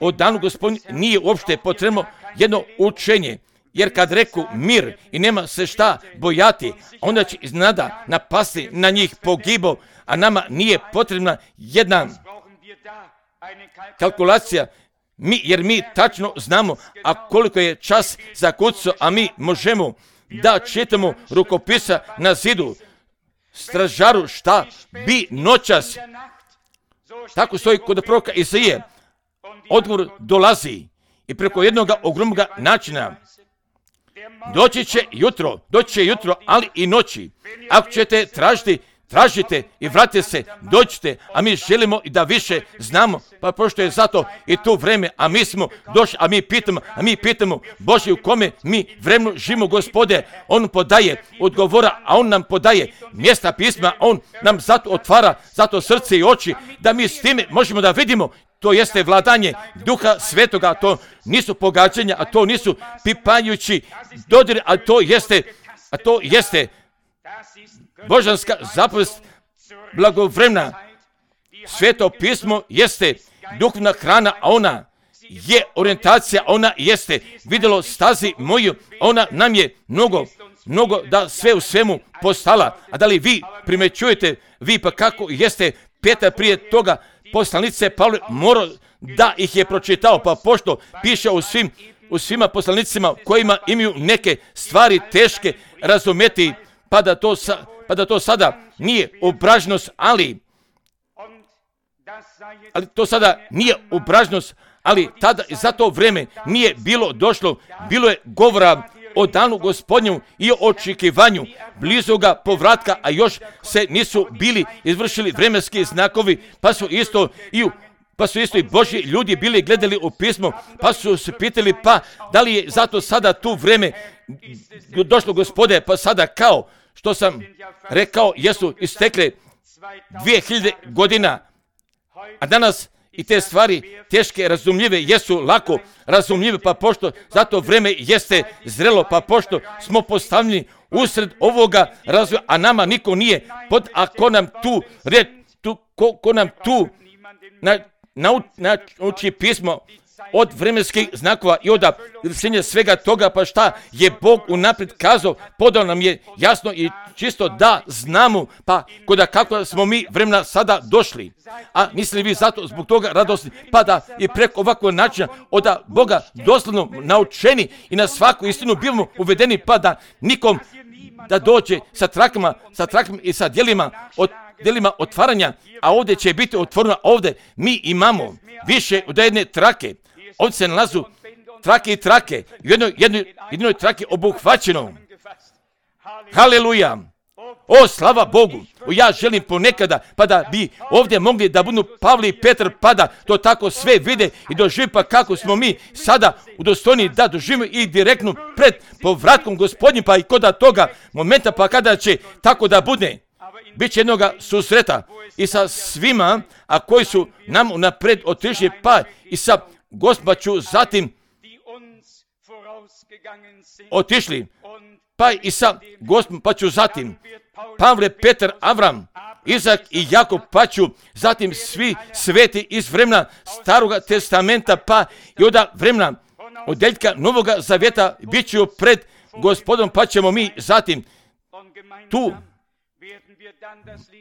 o danu Gospodnju nije uopšte potrebno jedno učenje, jer kad reku mir i nema se šta bojati, onda će iznenada napasti na njih pogibo, a nama nije potrebna jedna kalkulacija, mi, jer mi tačno znamo, a koliko je čas za kucu, a mi možemo da čitamo rukopisa na zidu, stražaru šta bi noćas, tako stoji kod proroka Isaije, odgovor dolazi i preko jednog ogromnog načina. Doći će jutro, doći će jutro, ali i noći. Ako ćete tražiti, tražite i vratite se, dođite, a mi želimo i da više znamo, pa pošto je zato i to vreme, a mi smo došli, a mi pitamo, a mi pitamo, Bože, u kome mi vremenu živimo, Gospode, on podaje odgovora, a on nam podaje mjesta pisma, on nam zato otvara, zato srce i oči, da mi s time možemo da vidimo. To jeste vladanje Duha Svetoga, a to nisu pogađanja, a to nisu pipajući dodiri, a to jeste, a to jeste božanska zapovest blagovremena. Sveto pismo jeste duhovna hrana, a ona je orijentacija, ona jeste vidjelo stazi moju, ona nam je mnogo, mnogo da sve u svemu postala. A da li vi primećujete, vi pa kako jeste Petar prije toga poslanice Pavle morao da ih je pročitao, pa pošto piše u svim, u svima poslanicima kojima imaju neke stvari teške razumjeti, pa da to, sa, pa da to sada nije obražnost, ali, ali to sada nije obražnost, ali tada i za to vreme nije bilo došlo, bilo je govora o danu Gospodnju i o očekivanju blizoga povratka, a još se nisu bili izvršili vremenski znakovi, pa su isto i pa su isto i Božji ljudi bili gledali u pismo, pa su se pitali, pa da li je zato sada tu vreme došlo, Gospode, pa sada kao što sam rekao, jesu istekle dvije hiljade godina, a danas i te stvari teške, razumljive, jesu lako razumljive, pa pošto zato vreme jeste zrelo, pa pošto smo postavljeni usred ovoga razvoja, a nama niko nije pod, a ko nam tu, red, tu ko, ko nam tu na, nauči pismo, od vremenskih znakova i od izvršenja svega toga, pa šta je Bog unaprijed kazao, podao nam je jasno i čisto da znamo, pa koda kako smo mi vremena sada došli. A mislili vi zato zbog toga radosni, pa da i preko ovakvog načina od Boga doslovno naučeni i na svaku istinu bivamo uvedeni, pa da nikom da dođe sa trakama, sa trakama i sa djelima, od, djelima otvaranja, a ovdje će biti otvoreno, ovdje mi imamo više od jedne trake. Ovdje se nalazu trake i trake, u jednoj, jednoj, jednoj trake obuhvaćeno. Haleluja! O, slava Bogu! O, ja želim ponekada, pa da bi ovdje mogli da budu Pavle i Petar, pa da to tako sve vide i doživi, pa kako smo mi sada udostojni da doživimo i direktno pred povratkom Gospodnjim, pa i kod toga momenta, pa kada će tako da bude, bit će jednoga susreta i sa svima, a koji su nam napred otišli, pa i sa Gospodom ću zatim otišli, pa i sa Gospodom pa ću zatim Pavle, Petar, Avram, Izak i Jakov, pa ću zatim svi sveti iz vremena Staroga testamenta, pa i od vremena odjeljka Novoga zavjeta bit ću pred Gospodom, pa ćemo mi zatim tu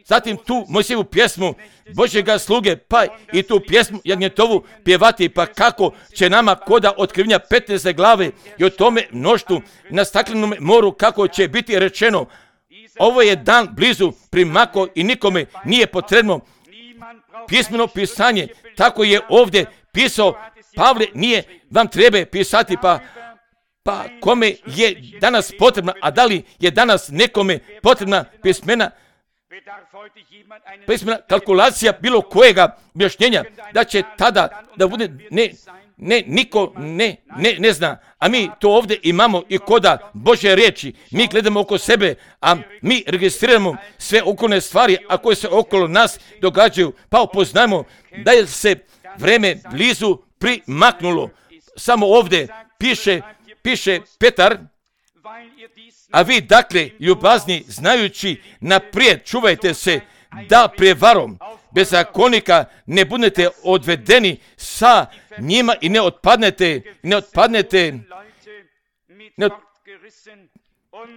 Zatim tu Mojsijevu pjesmu Božjega sluge, pa i tu pjesmu Jagnjetovu pjevati, pa kako će nama koda otkrivenja petnaeste glave i o tome mnoštvu na staklenom moru kako će biti rečeno, ovo je dan blizu primako i nikome nije potrebno pismeno pisanje, tako je ovdje pisao Pavle, nije vam treba pisati, pa pa kome je danas potrebna, a da li je danas nekome potrebna pismena pismena kalkulacija bilo kojega objašnjenja, da će tada da bude ne, ne, niko ne, ne, ne zna, a mi to ovdje imamo i koda Božje riječi, mi gledamo oko sebe, a mi registriramo sve okolne stvari, a koje se okolo nas događaju, pa upoznajemo da je se vreme blizu primaknulo. Samo ovdje piše, piše Petar, a vi dakle, ljubazni, znajući naprijed, čuvajte se da prevarom bezakonika ne budete odvedeni sa njima i ne otpadnete, ne otpadnete, ne, od,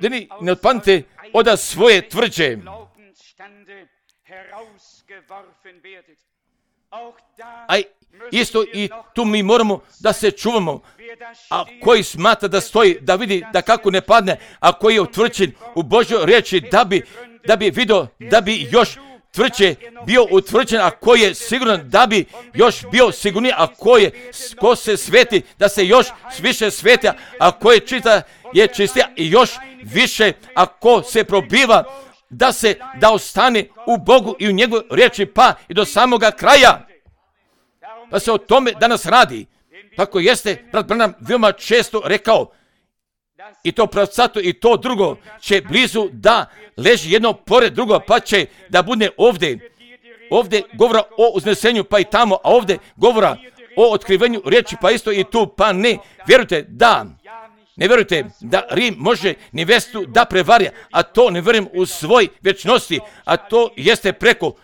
ne, ne otpadnete od svoje tvrđe. A isto i tu mi moramo da se čuvamo, a koji smatra da stoji, da vidi da kako ne padne, a koji je utvrđen u Božjoj riječi da bi, da bi vidio, da bi još tvrđe bio utvrđen, a koji je siguran da bi još bio sigurniji, a ko, je, ko se sveti, da se još više sveti, a ko je čista je čistiji i još više, a ko se probiva da se, da ostane u Bogu i u njegovoj riječi, pa i do samoga kraja. Pa se o tome danas radi. Tako jeste, brat Branham veoma često rekao, i to pravcato i to drugo će blizu da leži jedno pored drugo, pa će da bude ovdje. Ovdje govora o uznesenju, pa i tamo, a ovdje govora o otkrivenju riječi, pa isto i tu, pa ne. Vjerujte da, ne vjerujte da Rim može nevestu da prevari, a to ne vjerujem u svoj vječnosti, a to jeste preko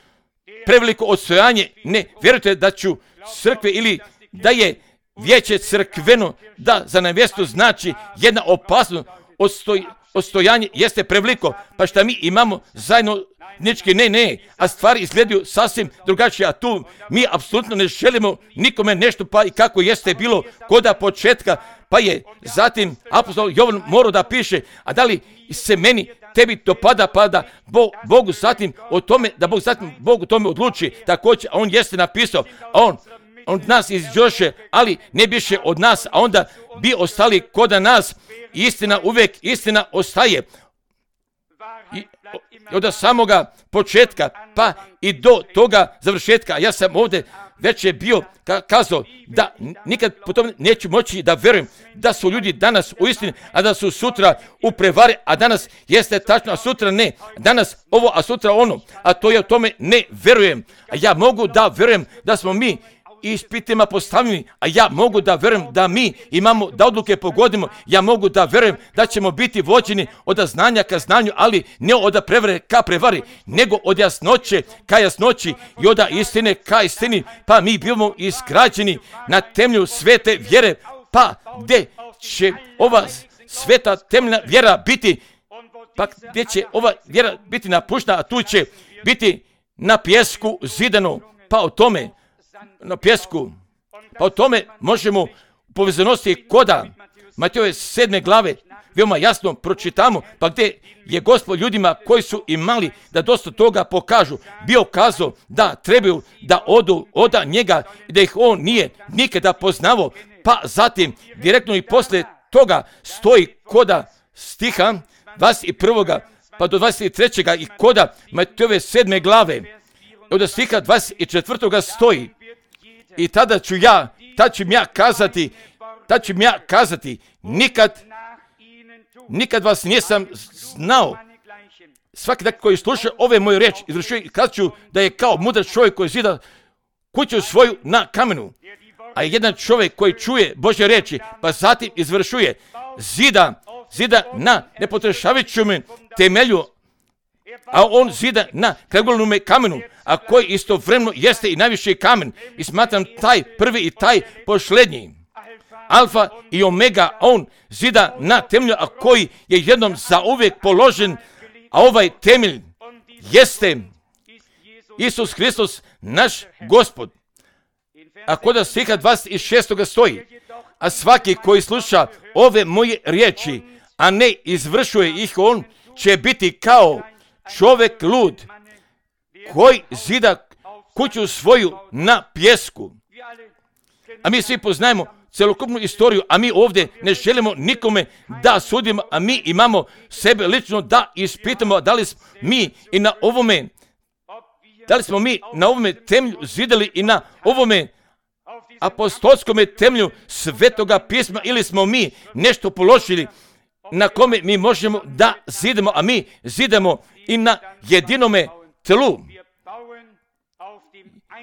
preveliko odstojanje. Ne vjerujte da ću crkve ili da je vijeće crkveno, da za nevestu znači jedna opasnost, odstoj, odstojanje jeste preveliko, pa šta mi imamo zajedno nički, ne, ne, a stvari izgledaju sasvim drugačije, a tu mi apsolutno ne želimo nikome nešto, pa i kako jeste bilo koda početka, pa je zatim apostol Jovan morao da piše, a da li se meni tebi to pada, pada Bog, Bogu zatim o tome, da Bog zatim Bog o tome odluči, također, a on jeste napisao, a on od nas izđoše, ali ne biše od nas, a onda bi ostali koda nas, istina uvijek, istina ostaje. I od samoga početka, pa i do toga završetka, ja sam ovdje već je bio kazao da nikad po tome neću moći da vjerujem da su ljudi danas u istini, a da su sutra u prevari, a danas jeste tačno, a sutra ne. Danas ovo, a sutra ono, a to je o tome ne vjerujem. A ja mogu da vjerujem da smo mi ispitima postavljeni, a ja mogu da verujem da mi imamo, da odluke pogodimo, ja mogu da verujem da ćemo biti vođeni od znanja ka znanju, ali ne od prevare ka prevari, nego od jasnoće ka jasnoći i od istine ka istini, pa mi bivamo izgrađeni na temelju svete vjere, pa gde će ova sveta temeljna vjera biti, pa gdje će ova vjera biti napuštena, a tu će biti na pjesku zidano, pa o tome, na pjesku, pa o tome možemo u povezanosti koda Matejove sedme glave veoma jasno pročitamo, pa gdje je Gospod ljudima koji su imali da dosta toga pokažu, bio kazao da trebaju da odu od njega i da ih on nije nikada poznavao, pa zatim direktno i posle toga stoji koda stiha dvadeset prvog pa do dvadeset trećeg i koda Matejove sedme glave, od stiha dvadeset četvrtog stoji, i tada ću ja, tada ću ja kazati, tada ću ja kazati, nikad, nikad vas nisam znao. Svaki dan koji sluša ove moje riječi, izvršuje, kazat ću da je kao mudar čovjek koji zida kuću svoju na kamenu, a jedan čovjek koji čuje Božje riječi, pa zatim izvršuje, zida, zida na nepotrešavajućem temelju, a on zida na kragulnome kamenu, a koji istovremeno jeste i najviši kamen, i smatram taj prvi i taj posljednji, alfa i omega, on zida na temelju, a koji je jednom zauvijek položen, a ovaj temelj jeste Isus Hristos, naš Gospod. A kod stiha dvadeset šestog stoji, a svaki koji sluša ove moje riječi, a ne izvršuje ih, on će biti kao čovjek lud, koji zida kuću svoju na pjesku. A mi svi poznajemo celokupnu istoriju, a mi ovdje ne želimo nikome da sudimo, a mi imamo sebe lično da ispitamo da li smo mi i na ovome, da li smo mi na ovome temelju zidali i na ovome apostolskome temelju Svetoga pisma, ili smo mi nešto položili na kome mi možemo da zidamo, a mi zidamo i na jedinome tlu,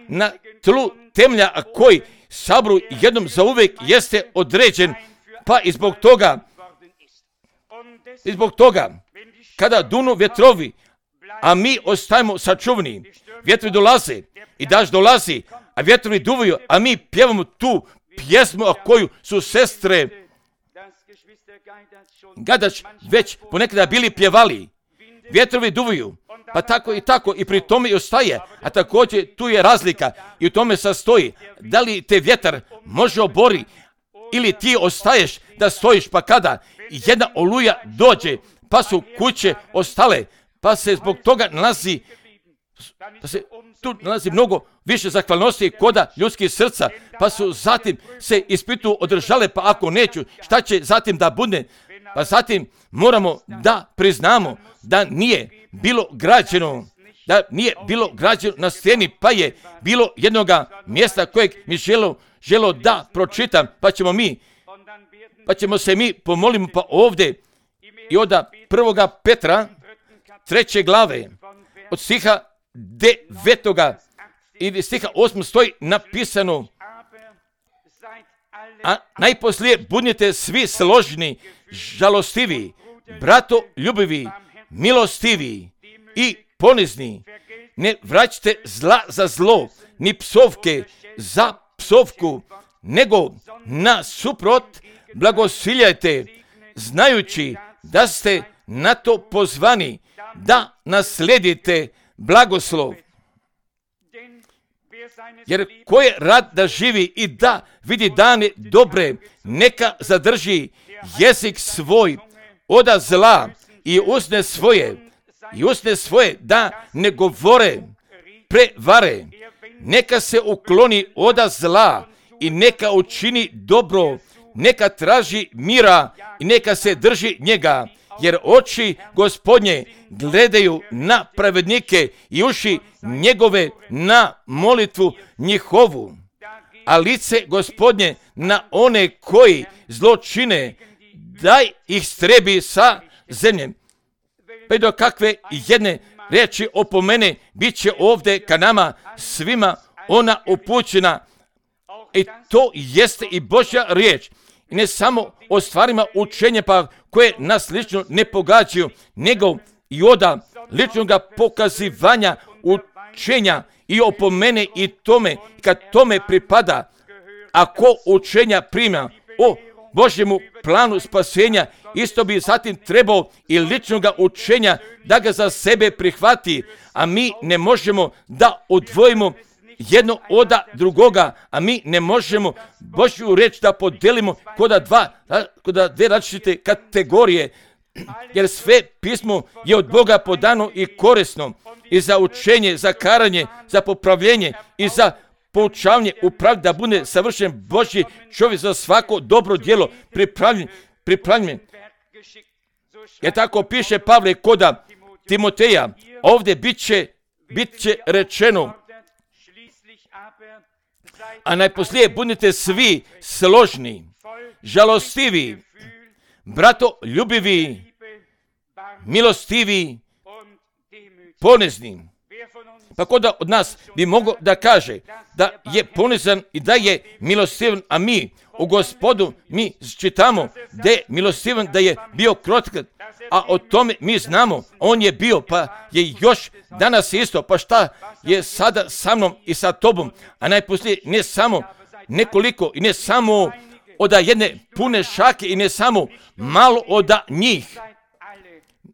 na tlu temelja, a koji sabru jednom zauvijek jeste određen, pa i zbog toga, i zbog toga, kada dunu vjetrovi, a mi ostajemo sačuvani, vjetrovi dolaze i daž dolazi, a vjetrovi duvaju, a mi pjevamo tu pjesmu, a koju su sestre Gadač već ponekada bili pjevali. Vjetrovi duvaju, pa tako i tako, i pri tome i ostaje, a također tu je razlika i u tome sastoji, da li te vjetar može obori ili ti ostaješ da stojiš, pa kada jedna oluja dođe, pa su kuće ostale, pa se zbog toga nalazi, pa se tu nalazi mnogo više zahvalnosti koda ljudskih srca, pa su zatim se ispitu održale, pa ako neću, šta će zatim da bude? Pa zatim moramo da priznamo da nije bilo građeno, da nije bilo građeno na steni, pa je bilo jednoga mjesta kojeg mi želo, želo da pročitam, pa ćemo mi, pa ćemo se mi pomolimo, pa ovdje i od prvoga Petra, treće glave, od stiha devetoga i stiha osmog stoji napisano, a najposlije budnite svi složni, žalostivi, brato ljubivi, milostivi i ponizni. Ne vraćate zla za zlo, ni psovke za psovku, nego nasuprot blagosiljajte, znajući da ste na to pozvani da nasledite blagoslov. Jer ko je rad da živi i da vidi dane dobre, neka zadrži jezik svoj od zla i usne svoje, i usne svoje da ne govore prevare. Neka se ukloni od zla i neka učini dobro, neka traži mira i neka se drži njega. Jer oči Gospodnje gledaju na pravednike i uši njegove na molitvu njihovu, a lice Gospodnje na one koji zlo čine, daj ih strebi sa zemljem. Pa do kakve jedne riječi opomene bit će ovdje ka nama svima ona upućena, I to jeste i Božja riječ. I ne samo o stvarima učenja pa koje nas lično ne pogađaju, nego i oda ličnog pokazivanja učenja i opomene i tome, kad tome pripada, ako učenja prima o Božjemu planu spasenja, isto bi zatim trebao i ličnog učenja da ga za sebe prihvati, a mi ne možemo da odvojimo jedno od drugoga, a mi ne možemo Božju reč da podelimo kod dva, kod dve različite kategorije, jer sve pismo je od Boga podano i korisno i za učenje, za karanje, za popravljenje i za poučavanje u pravdi da bude savršen Božji čovjek za svako dobro djelo pripravljen, pripravljen. Jer tako piše Pavle koda Timoteja, ovdje bit će, bit će rečeno, a najposlije budite svi složni, žalostivi, brato ljubivi, milostivi, ponezni. Pa ko da od nas bi mogao da kaže da je ponizan i da je milostivan, a mi u Gospodu mi čitamo da je milostivan, da je bio krotak, a o tome mi znamo, on je bio, pa je još danas isto, pa šta je sada sa mnom i sa tobom, a najposlije ne samo nekoliko i ne samo od jedne pune šake i ne samo malo od njih.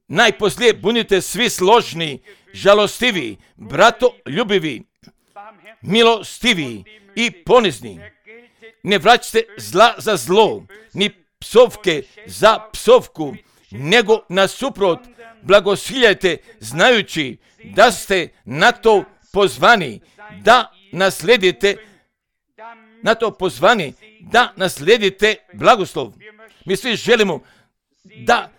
Najposlije budite svi složni, žalostivi, brato ljubivi, milostivi i ponizni. Ne vraćate zla za zlo, ni psovke za psovku, nego nasuprot blagosiljajte, znajući da ste na to pozvani, da nasledite, na to pozvani, da nasledite blagoslov. Mi svi želimo da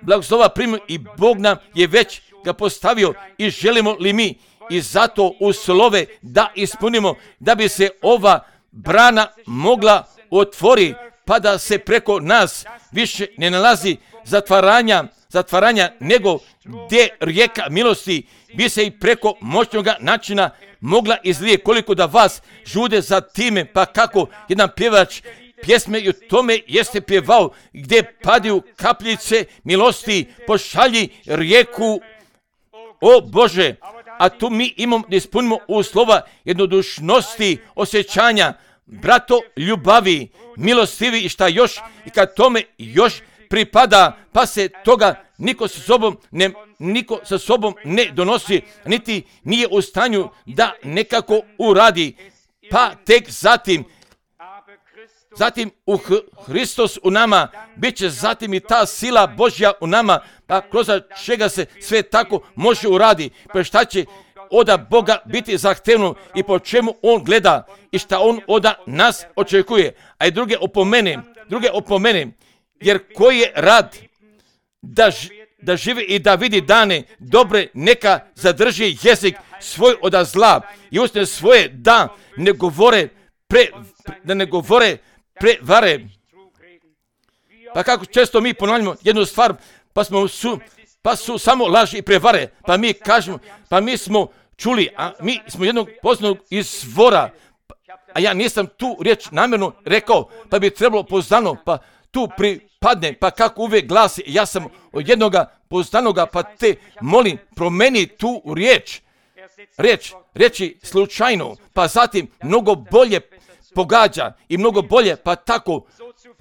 blagoslova primimo i Bog nam je već ga postavio i želimo li mi i zato uslove da ispunimo, da bi se ova brana mogla otvori, pa da se preko nas više ne nalazi zatvaranja, zatvaranja nego gdje rijeka milosti bi se i preko moćnog načina mogla izlije, koliko da vas žude za time, pa kako jedan pjevač pjesme i u tome jeste pjevao, gdje padaju kapljice milosti, pošalji rijeku, o Bože, a tu mi imamo da ispunimo uslova jednodušnosti, osjećanja, brato ljubavi, milostivi i šta još, i kad tome još pripada, pa se toga niko sa sobom ne, niko sa sobom ne donosi, niti nije u stanju da nekako uradi, pa tek zatim, zatim u Hristos u nama, bit će zatim i ta sila Božja u nama, pa kroz čega se sve tako može uradi, pa šta će od Boga biti zahtevno i po čemu On gleda i šta On od nas očekuje, a i druge opomene, druge opomene, jer koji je rad da, da živi i da vidi dane dobre, neka zadrži jezik svoj od zla i usne svoje da ne govore pre, da ne govore prevare. Pa kako često mi ponavljamo jednu stvar, pa smo su, pa su samo laži i prevare, pa mi kažemo, pa mi smo čuli, a mi smo jednog poznanog izvora, a ja nisam tu riječ namjerno rekao, pa bi trebalo poznano, pa tu pripadne, pa kako uvijek glasi, ja sam od jednoga poznanoga, pa te molim, promeni tu riječ, riječ, reći slučajno, pa zatim mnogo bolje pogađa i mnogo bolje, pa tako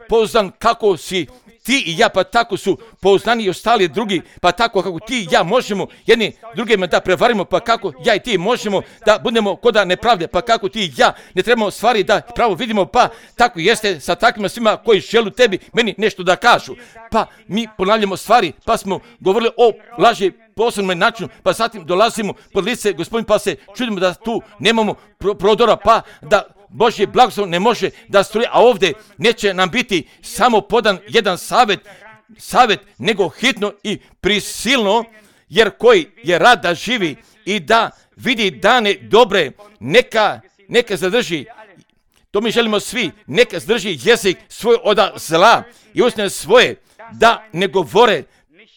poznan kako si ti i ja, pa tako su poznani i ostali drugi, pa tako kako ti i ja možemo jedni drugima da prevarimo, pa kako ja i ti možemo da budemo koda nepravde, pa kako ti i ja ne trebamo stvari da pravo vidimo, pa tako jeste sa takvima svima koji žele tebi meni nešto da kažu, pa mi ponavljamo stvari, pa smo govorili o laži posebnom načinu, pa zatim dolazimo pod lice Gospodin, pa se čudimo da tu nemamo prodora, pa da Božji blagoslov ne može da struje, a ovdje neće nam biti samo podan jedan savjet, savjet, nego hitno i prisilno, jer koji je rad da živi i da vidi dane dobre, neka, neka zadrži, to mi želimo svi, neka zadrži jezik svoj od zla i usne svoje, da ne govore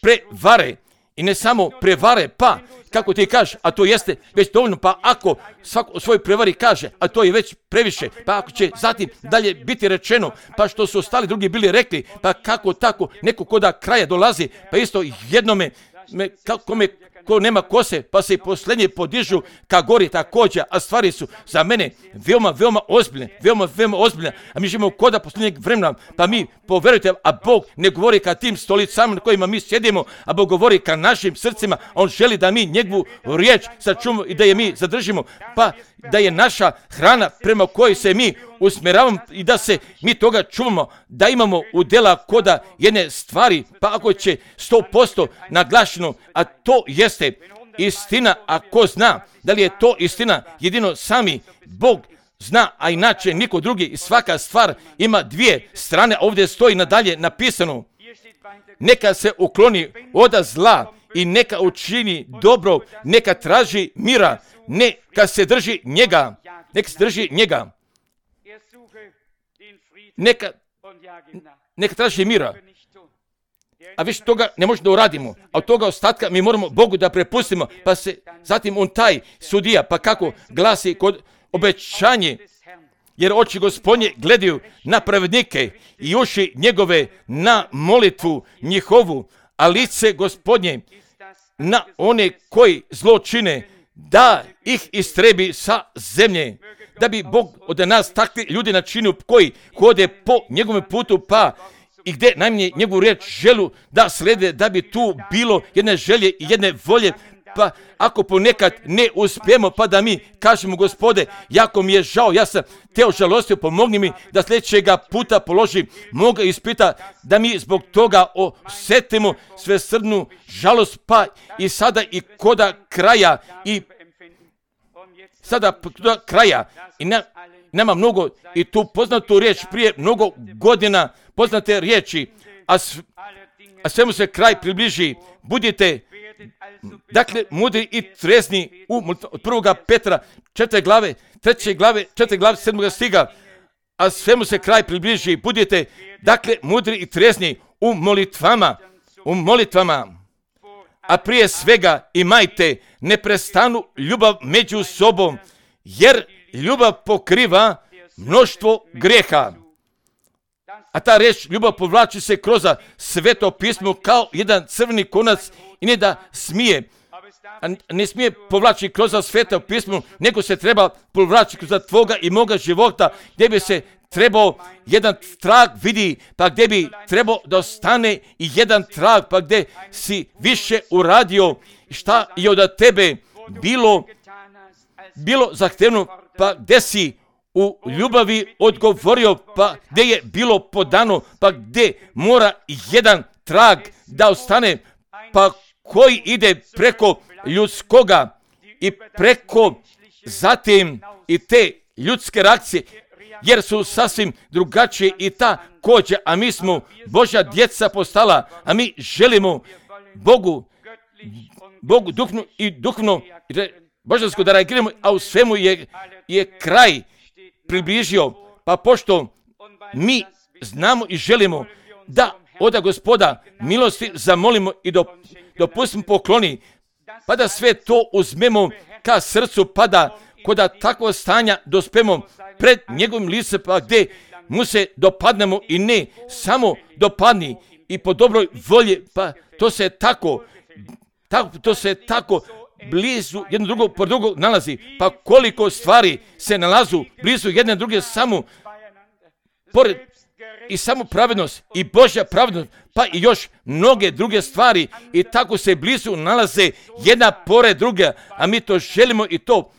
prevare i ne samo prevare, pa kako ti kažeš, a to jeste već dovoljno, pa ako svako o svojoj prevari kaže, a to je već previše, pa ako će zatim dalje biti rečeno, pa što su ostali drugi bili rekli, pa kako tako, neko ko da kraja dolazi, pa isto jednome, me, kako me, ko nema kose, pa se i posljednje podižu ka gori također, a stvari su za mene veoma, veoma ozbiljne, veoma, veoma ozbiljne, a mi živimo koda posljednjeg vremena, pa mi, poverujte, a Bog ne govori ka tim stolicama na kojima mi sjedimo, a Bog govori ka našim srcima, on želi da mi njegovu riječ sačuvamo i da je mi zadržimo, pa da je naša hrana prema kojoj se mi usmjeravamo i da se mi toga čuvamo, da imamo udjela koda jedne stvari, pa ako će sto posto naglašeno, a to jeste istina, a ko zna da li je to istina, jedino sami Bog zna, a inače niko drugi, i svaka stvar ima dvije strane, ovdje stoji nadalje napisano, neka se ukloni od zla i neka učini dobro, neka traži mira, neka se drži njega, neka se drži njega, neka, neka traži mira. A više toga ne možemo da uradimo, a od toga ostatka mi moramo Bogu da prepustimo, pa se zatim on taj sudija, pa kako glasi kod obećanje, jer oči Gospodnje gledaju na pravednike i uši njegove na molitvu njihovu, a lice Gospodnje na one koji zlo čine, da ih istrebi sa zemlje, da bi Bog od nas takvi ljudi načinio koji hode po njegovom putu, pa i gdje najmanje njegovu riječ želu da slede, da bi tu bilo jedne želje i jedne volje, pa ako ponekad ne uspijemo, pa da mi kažemo, Gospode, jako mi je žao, ja sam te ožalostio, pomogni mi da sljedećega puta položim moga ispita, da mi zbog toga osjetimo svesrdnu žalost, pa i sada i koda kraja i sada koda kraja i na, nema mnogo i tu poznatu riječ prije mnogo godina, poznate riječi, a, s, a svemu se kraj približi, budite dakle mudri i trezni u od prvoga Petra četvrte glave, treće glave, četvrte glave, sedmoga stiga, a svemu se kraj približi, budite dakle mudri i trezni u molitvama, u molitvama, a prije svega imajte neprestanu ljubav među sobom, jer ljubav pokriva mnoštvo grijeha. A ta riječ ljubav povlači se kroz Sveto pismo kao jedan crveni konac i ne da smije, a ne smije povlači kroz Sveto pismo, nego se treba povlači kroz tvoga i moga života, gdje bi se trebao jedan trag vidi, pa gdje bi trebao da ostane i jedan trag, pa gdje si više uradio, šta je od tebe bilo, bilo zahtevno, pa gdje si u ljubavi odgovorio, pa gdje je bilo podano, pa gdje mora jedan trag da ostane, pa koji ide preko ljudskoga i preko zatim i te ljudske reakcije, jer su sasvim drugačije i ta kođa, a mi smo Božja djeca postala, a mi želimo Bogu, Bogu duhnu i duhno božansko da reagiramo, a u svemu je, je kraj približio, pa pošto mi znamo i želimo da od Gospoda milosti zamolimo i dopustimo pokloni, pa da sve to uzmemo ka srcu, pa da koda takvo stanja dospemo pred njegovim licem, pa gdje mu se dopadnemo i ne samo dopadni i po dobroj volji, pa to se tako, tako to se tako blizu jedno drugo po drugo nalazi, pa koliko stvari se nalazu blizu jedne druge samo pored i samo pravednost i Božja pravednost, pa i još mnoge druge stvari i tako se blizu nalaze jedna pored druge, a mi to želimo i to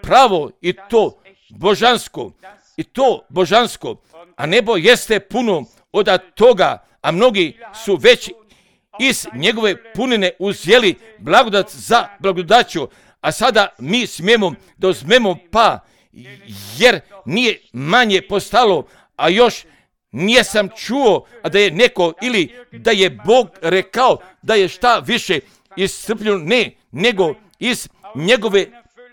pravo i to božansko i to božansko, a nebo jeste puno od toga, a mnogi su već iz njegove punine uzeli blagodat za blagodaću, a sada mi smijemo da uzmemo, pa jer nije manje postalo, a još nisam čuo a da je neko ili da je Bog rekao da je šta više iscrpljeno, ne, nego iz njegove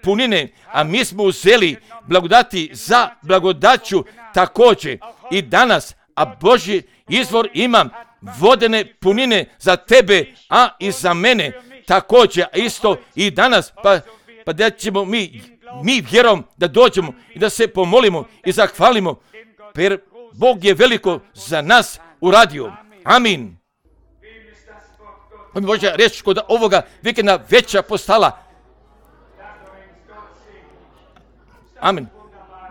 punine, a mi smo uzeli blagodati za blagodaću također i danas, a Božji izvor imam vodene punine za tebe, a i za mene, također isto i danas, pa, pa da ćemo mi, mi vjerom da dođemo i da se pomolimo i zahvalimo, jer Bog je veliko za nas uradio. Amin. On može reći kod ovoga vikenda veća postala. Amen.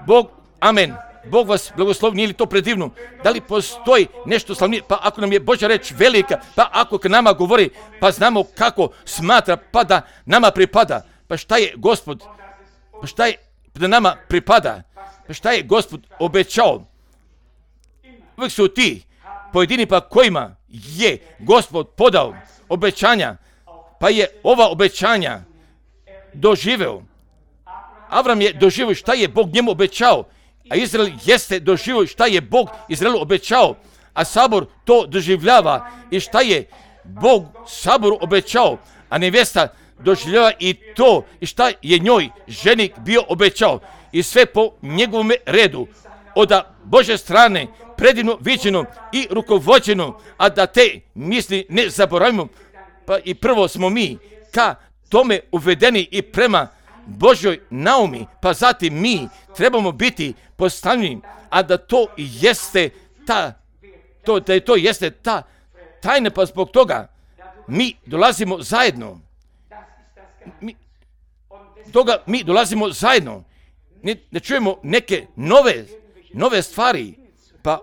Bog, amen. Bog vas blagoslovi, nije li to predivno? Da li postoji nešto slavnije? Pa ako nam je Božja reč velika, pa ako k nama govori, pa znamo kako smatra, pa da nama pripada. Pa šta je Gospod? Pa šta je da nama pripada? Pa šta je Gospod obećao? Uvijek su ti pojedini pa kojima je Gospod podao obećanja, pa je ova obećanja doživeo. Avram je doživio šta je Bog njemu obećao, a Izrael jeste doživio šta je Bog Izraelu obećao, a Sabor to doživljava i šta je Bog Saboru obećao, a nevjesta doživljava i to i šta je njoj ženik bio obećao i sve po njegovom redu, od Božje strane predivno viđeno i rukovođeno, a da te misli ne zaboravimo, pa i prvo smo mi ka tome uvedeni i prema Božjoj naumi, pa zatim mi trebamo biti postavljeni, a da to jeste ta, to, da je to jeste ta tajna, pa zbog toga mi dolazimo zajedno. Mi, toga mi dolazimo zajedno. Ne, ne čujemo neke nove, nove stvari, pa,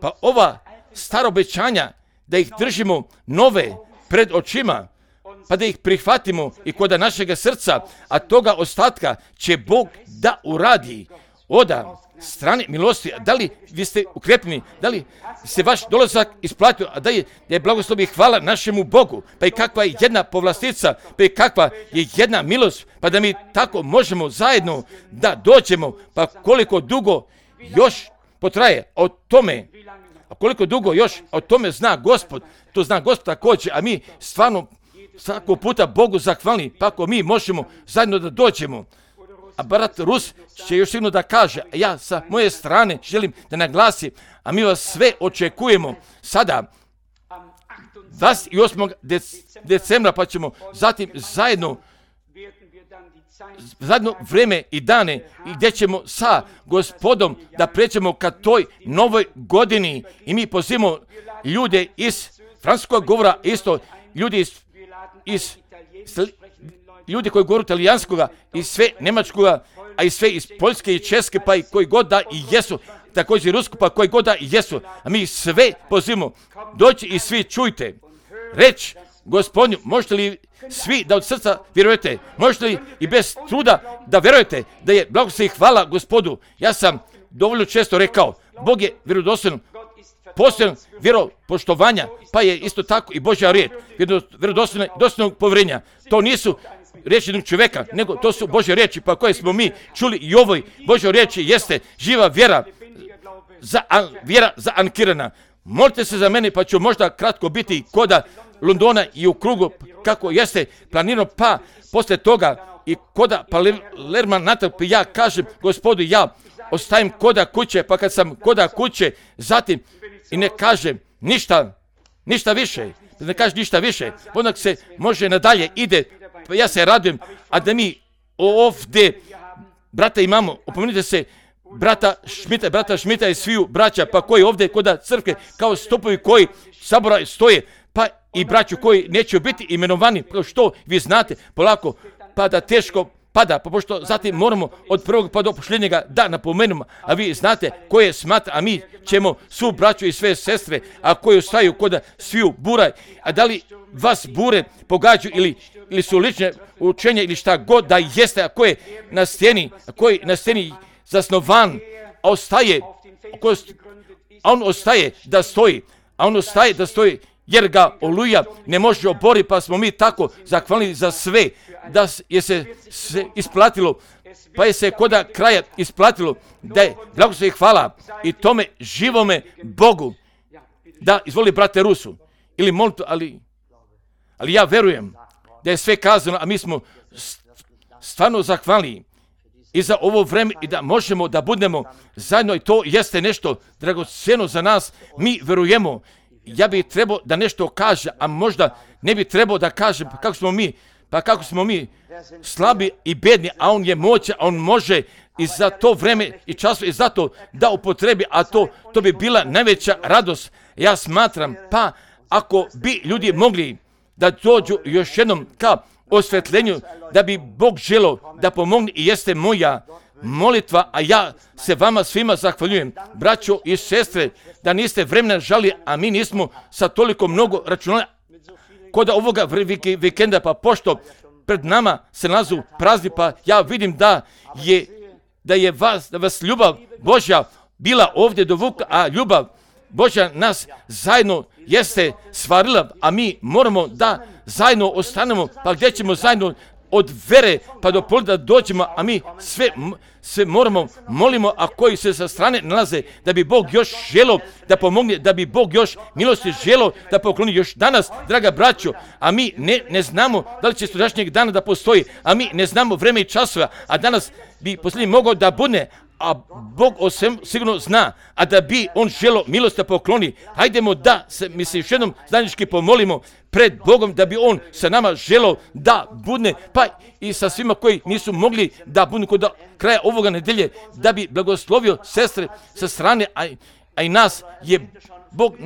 pa ova stara obećanja, da ih držimo nove pred očima, pa da ih prihvatimo i kod našega srca, a toga ostatka će Bog da uradi oda strane milosti. Da li vi ste ukrepljeni, da li se vaš dolazak isplatio, a da je, da je blagoslov i hvala našemu Bogu, pa i kakva je jedna povlastica, pa i kakva je jedna milost, pa da mi tako možemo zajedno da dođemo, pa koliko dugo još potraje o tome, a koliko dugo još o tome zna Gospod, to zna Gospod također, a mi stvarno svakog puta Bogu zahvalni, pa ako mi možemo zajedno da dođemo. A brat Rus će još sigurno da kaže, a ja sa moje strane želim da naglasim, a mi vas sve očekujemo sada dvadeset osmog decembra, pa ćemo zatim zajedno zadnje vrijeme i dane i gdje ćemo sa Gospodom da pređemo ka toj novoj godini i mi pozivamo ljude iz francuskog govora, isto ljudi iz, iz ljudi koji govore talijanskoga i sve njemačkoga, a i sve iz Poljske i Česke, pa i koji god da i jesu, također i Rusko, pa koji god da i jesu, a mi sve pozivamo, doći i svi čujte, reći Gospodinu, možete li svi da od srca vjerujete, možete li i bez truda da vjerujete da je blagoslov i hvala Gospodu. Ja sam dovoljno često rekao, Bog je vjerodostojan, postojan vjeropoštovanja, pa je isto tako i Božja riječ, vjerodostojnog povjerenja. To nisu riječi jednog čovjeka, nego to su Božje riječi, pa koje smo mi čuli i ovoj Božjoj riječi jeste živa vjera, za, vjera zaankirana. Molite se za mene, pa ću možda kratko biti koda Londona i u krugu, kako jeste planirano, pa poslije toga i koda Palerma natrag, pa ja kažem Gospodu, ja ostajem koda kuće, pa kad sam koda kuće, zatim i ne kažem ništa, ništa više, ne kaže ništa više, onda se može nadalje ide, pa ja se radujem, a da mi ovdje, brata imamo, opomenite se, brata Šmita, brata Šmita i sviju braća, pa koji ovdje koda crkve, kao stupovi koji sabora stoje, pa i braću koji neće biti imenovani, kao što vi znate, polako, pa da teško pada, pa pošto zatim moramo od prvog pa do posljednjega da napomenemo, a vi znate koje smatra, a mi ćemo svu braću i sve sestre, a koji ostaju kod sviju buraj, a da li vas bure pogađaju ili, ili su lične učenja ili šta god da jeste, a koje na steni, a koji na steni zasnovan, a ostaje, a on ostaje da stoji, a on ostaje da stoji, jer ga oluja ne može obori, pa smo mi tako zahvalili za sve, da je se, se isplatilo, pa je se koda kraja isplatilo, da je blagoslov i hvala i tome živome Bogu. Da, izvoli brate Rusu, ili molite, ali, ali ja verujem da je sve kazano, a mi smo stvarno zahvalni i za ovo vreme i da možemo da budemo zajedno i to jeste nešto dragocjeno za nas, mi verujemo ja bih trebao da nešto kaže, a možda ne bi trebao da kaže pa kako smo mi, pa kako smo mi slabi i bedni, a on je moćan, a on može i za to vreme i času i zato da upotrebi, a to, to bi bila najveća radost. Ja smatram, pa ako bi ljudi mogli da dođu još jednom ka osvetljenju, da bi Bog želio da pomogne i jeste moja molitva, a ja se vama svima zahvaljujem, braćo i sestre, da niste vremena žali, a mi nismo sa toliko mnogo računali kod ovoga vikenda, pa pošto pred nama se nalazu prazni, pa ja vidim da je, da je vas, da vas ljubav Božja bila ovdje dovukla, a ljubav Božja nas zajedno jeste stvarila, a mi moramo da zajedno ostanemo, pa gdje ćemo zajedno od vere pa do pola da dođemo, a mi sve, sve moramo, molimo, a koji se sa strane nalaze, da bi Bog još želio da pomogne, da bi Bog još milosti želio da pokloni još danas, draga braćo, a mi ne, ne znamo da li će sutrašnjeg dana da postoji, a mi ne znamo vreme i časova, a danas bi posljednji mogao da bude, a Bog o svem sigurno zna, a da bi on želio milost da pokloni, hajdemo da se, mi se još jednom zajednički pomolimo pred Bogom, da bi on sa nama želio da bude, pa i sa svima koji nisu mogli da budu kod kraja ovoga nedelje, da bi blagoslovio sestre sa strane, a, a i nas je Bog,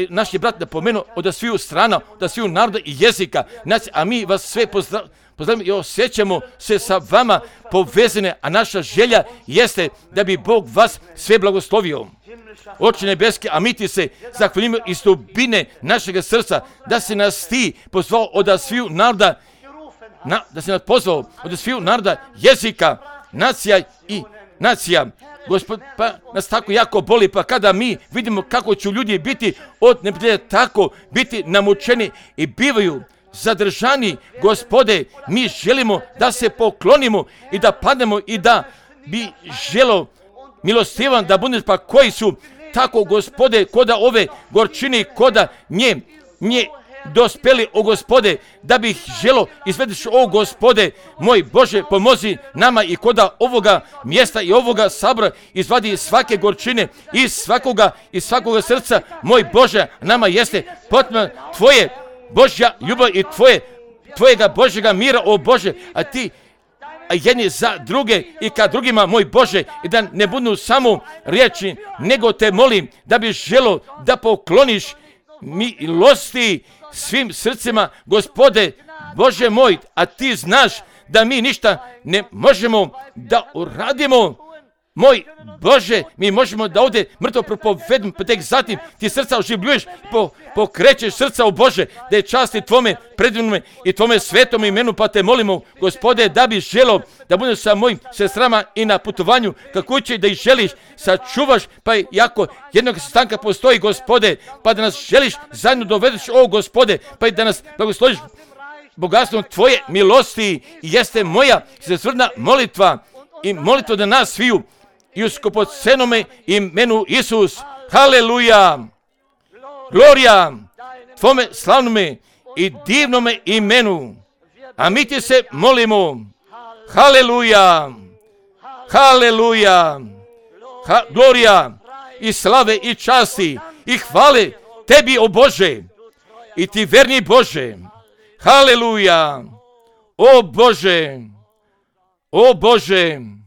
naš je brat napomenuo od sviju strana, od sviju naroda i jezika, a mi vas sve pozdravljamo. Pozdravljamo i osjećamo se sa vama povezane, a naša želja jeste da bi Bog vas sve blagoslovio. Oče nebeski, a mi ti se zahvaljujemo iz dubine našeg srca, da se nas ti pozvao od sviju naroda, na, da se nas pozvao od sviju naroda, jezika, nacija i nacija. Gospod, pa nas tako jako boli, pa kada mi vidimo kako će ljudi biti od neprijatelja, tako biti namučeni i bivaju zadržani, Gospode, mi želimo da se poklonimo i da padnemo i da bi želo milostivan da bude, pa koji su tako, Gospode, koda ove gorčine, koda nje, nje dospeli, o Gospode, da bih želo izvedeš, o Gospode, moj Bože, pomozi nama i koda ovoga mjesta i ovoga sabora izvadi svake gorčine iz svakoga, iz svakoga srca, moj Bože, nama jeste potrebno Tvoje Božja ljubav i tvoje, tvojega Božjega mira, o Bože, a ti a jedni za druge i ka drugima, moj Bože, i da ne budu samo riječi, nego te molim da bi želo da pokloniš milosti svim srcima, Gospode, Bože moj, a ti znaš da mi ništa ne možemo da uradimo. Moj Bože, mi možemo da ovdje mrtvo propovedimo, pa tek zatim ti srca oživljuješ, po, pokrećeš srca, o Bože, da je časti Tvome predivnome i Tvome svetom imenu, pa te molimo, Gospode, da bi želo da budeš sa mojim sestrama i na putovanju, kako će da ih želiš, sačuvaš, pa jako jednog stanka postoji, Gospode, pa da nas želiš zajedno dovedeš, o Gospode, pa i da nas blagosloviš bogatstvom Tvoje milosti, i jeste moja srcrna molitva i molitva da nas sviju, i u skupocenome imenu Isus. Haleluja! Glorija Tvome slavnome i divnome imenu. A mi ti se molimo. Haleluja! Haleluja! Ha, glorija i slave i časti i hvale Tebi, o Bože, i Ti verni Bože. Haleluja! O Bože! O Bože!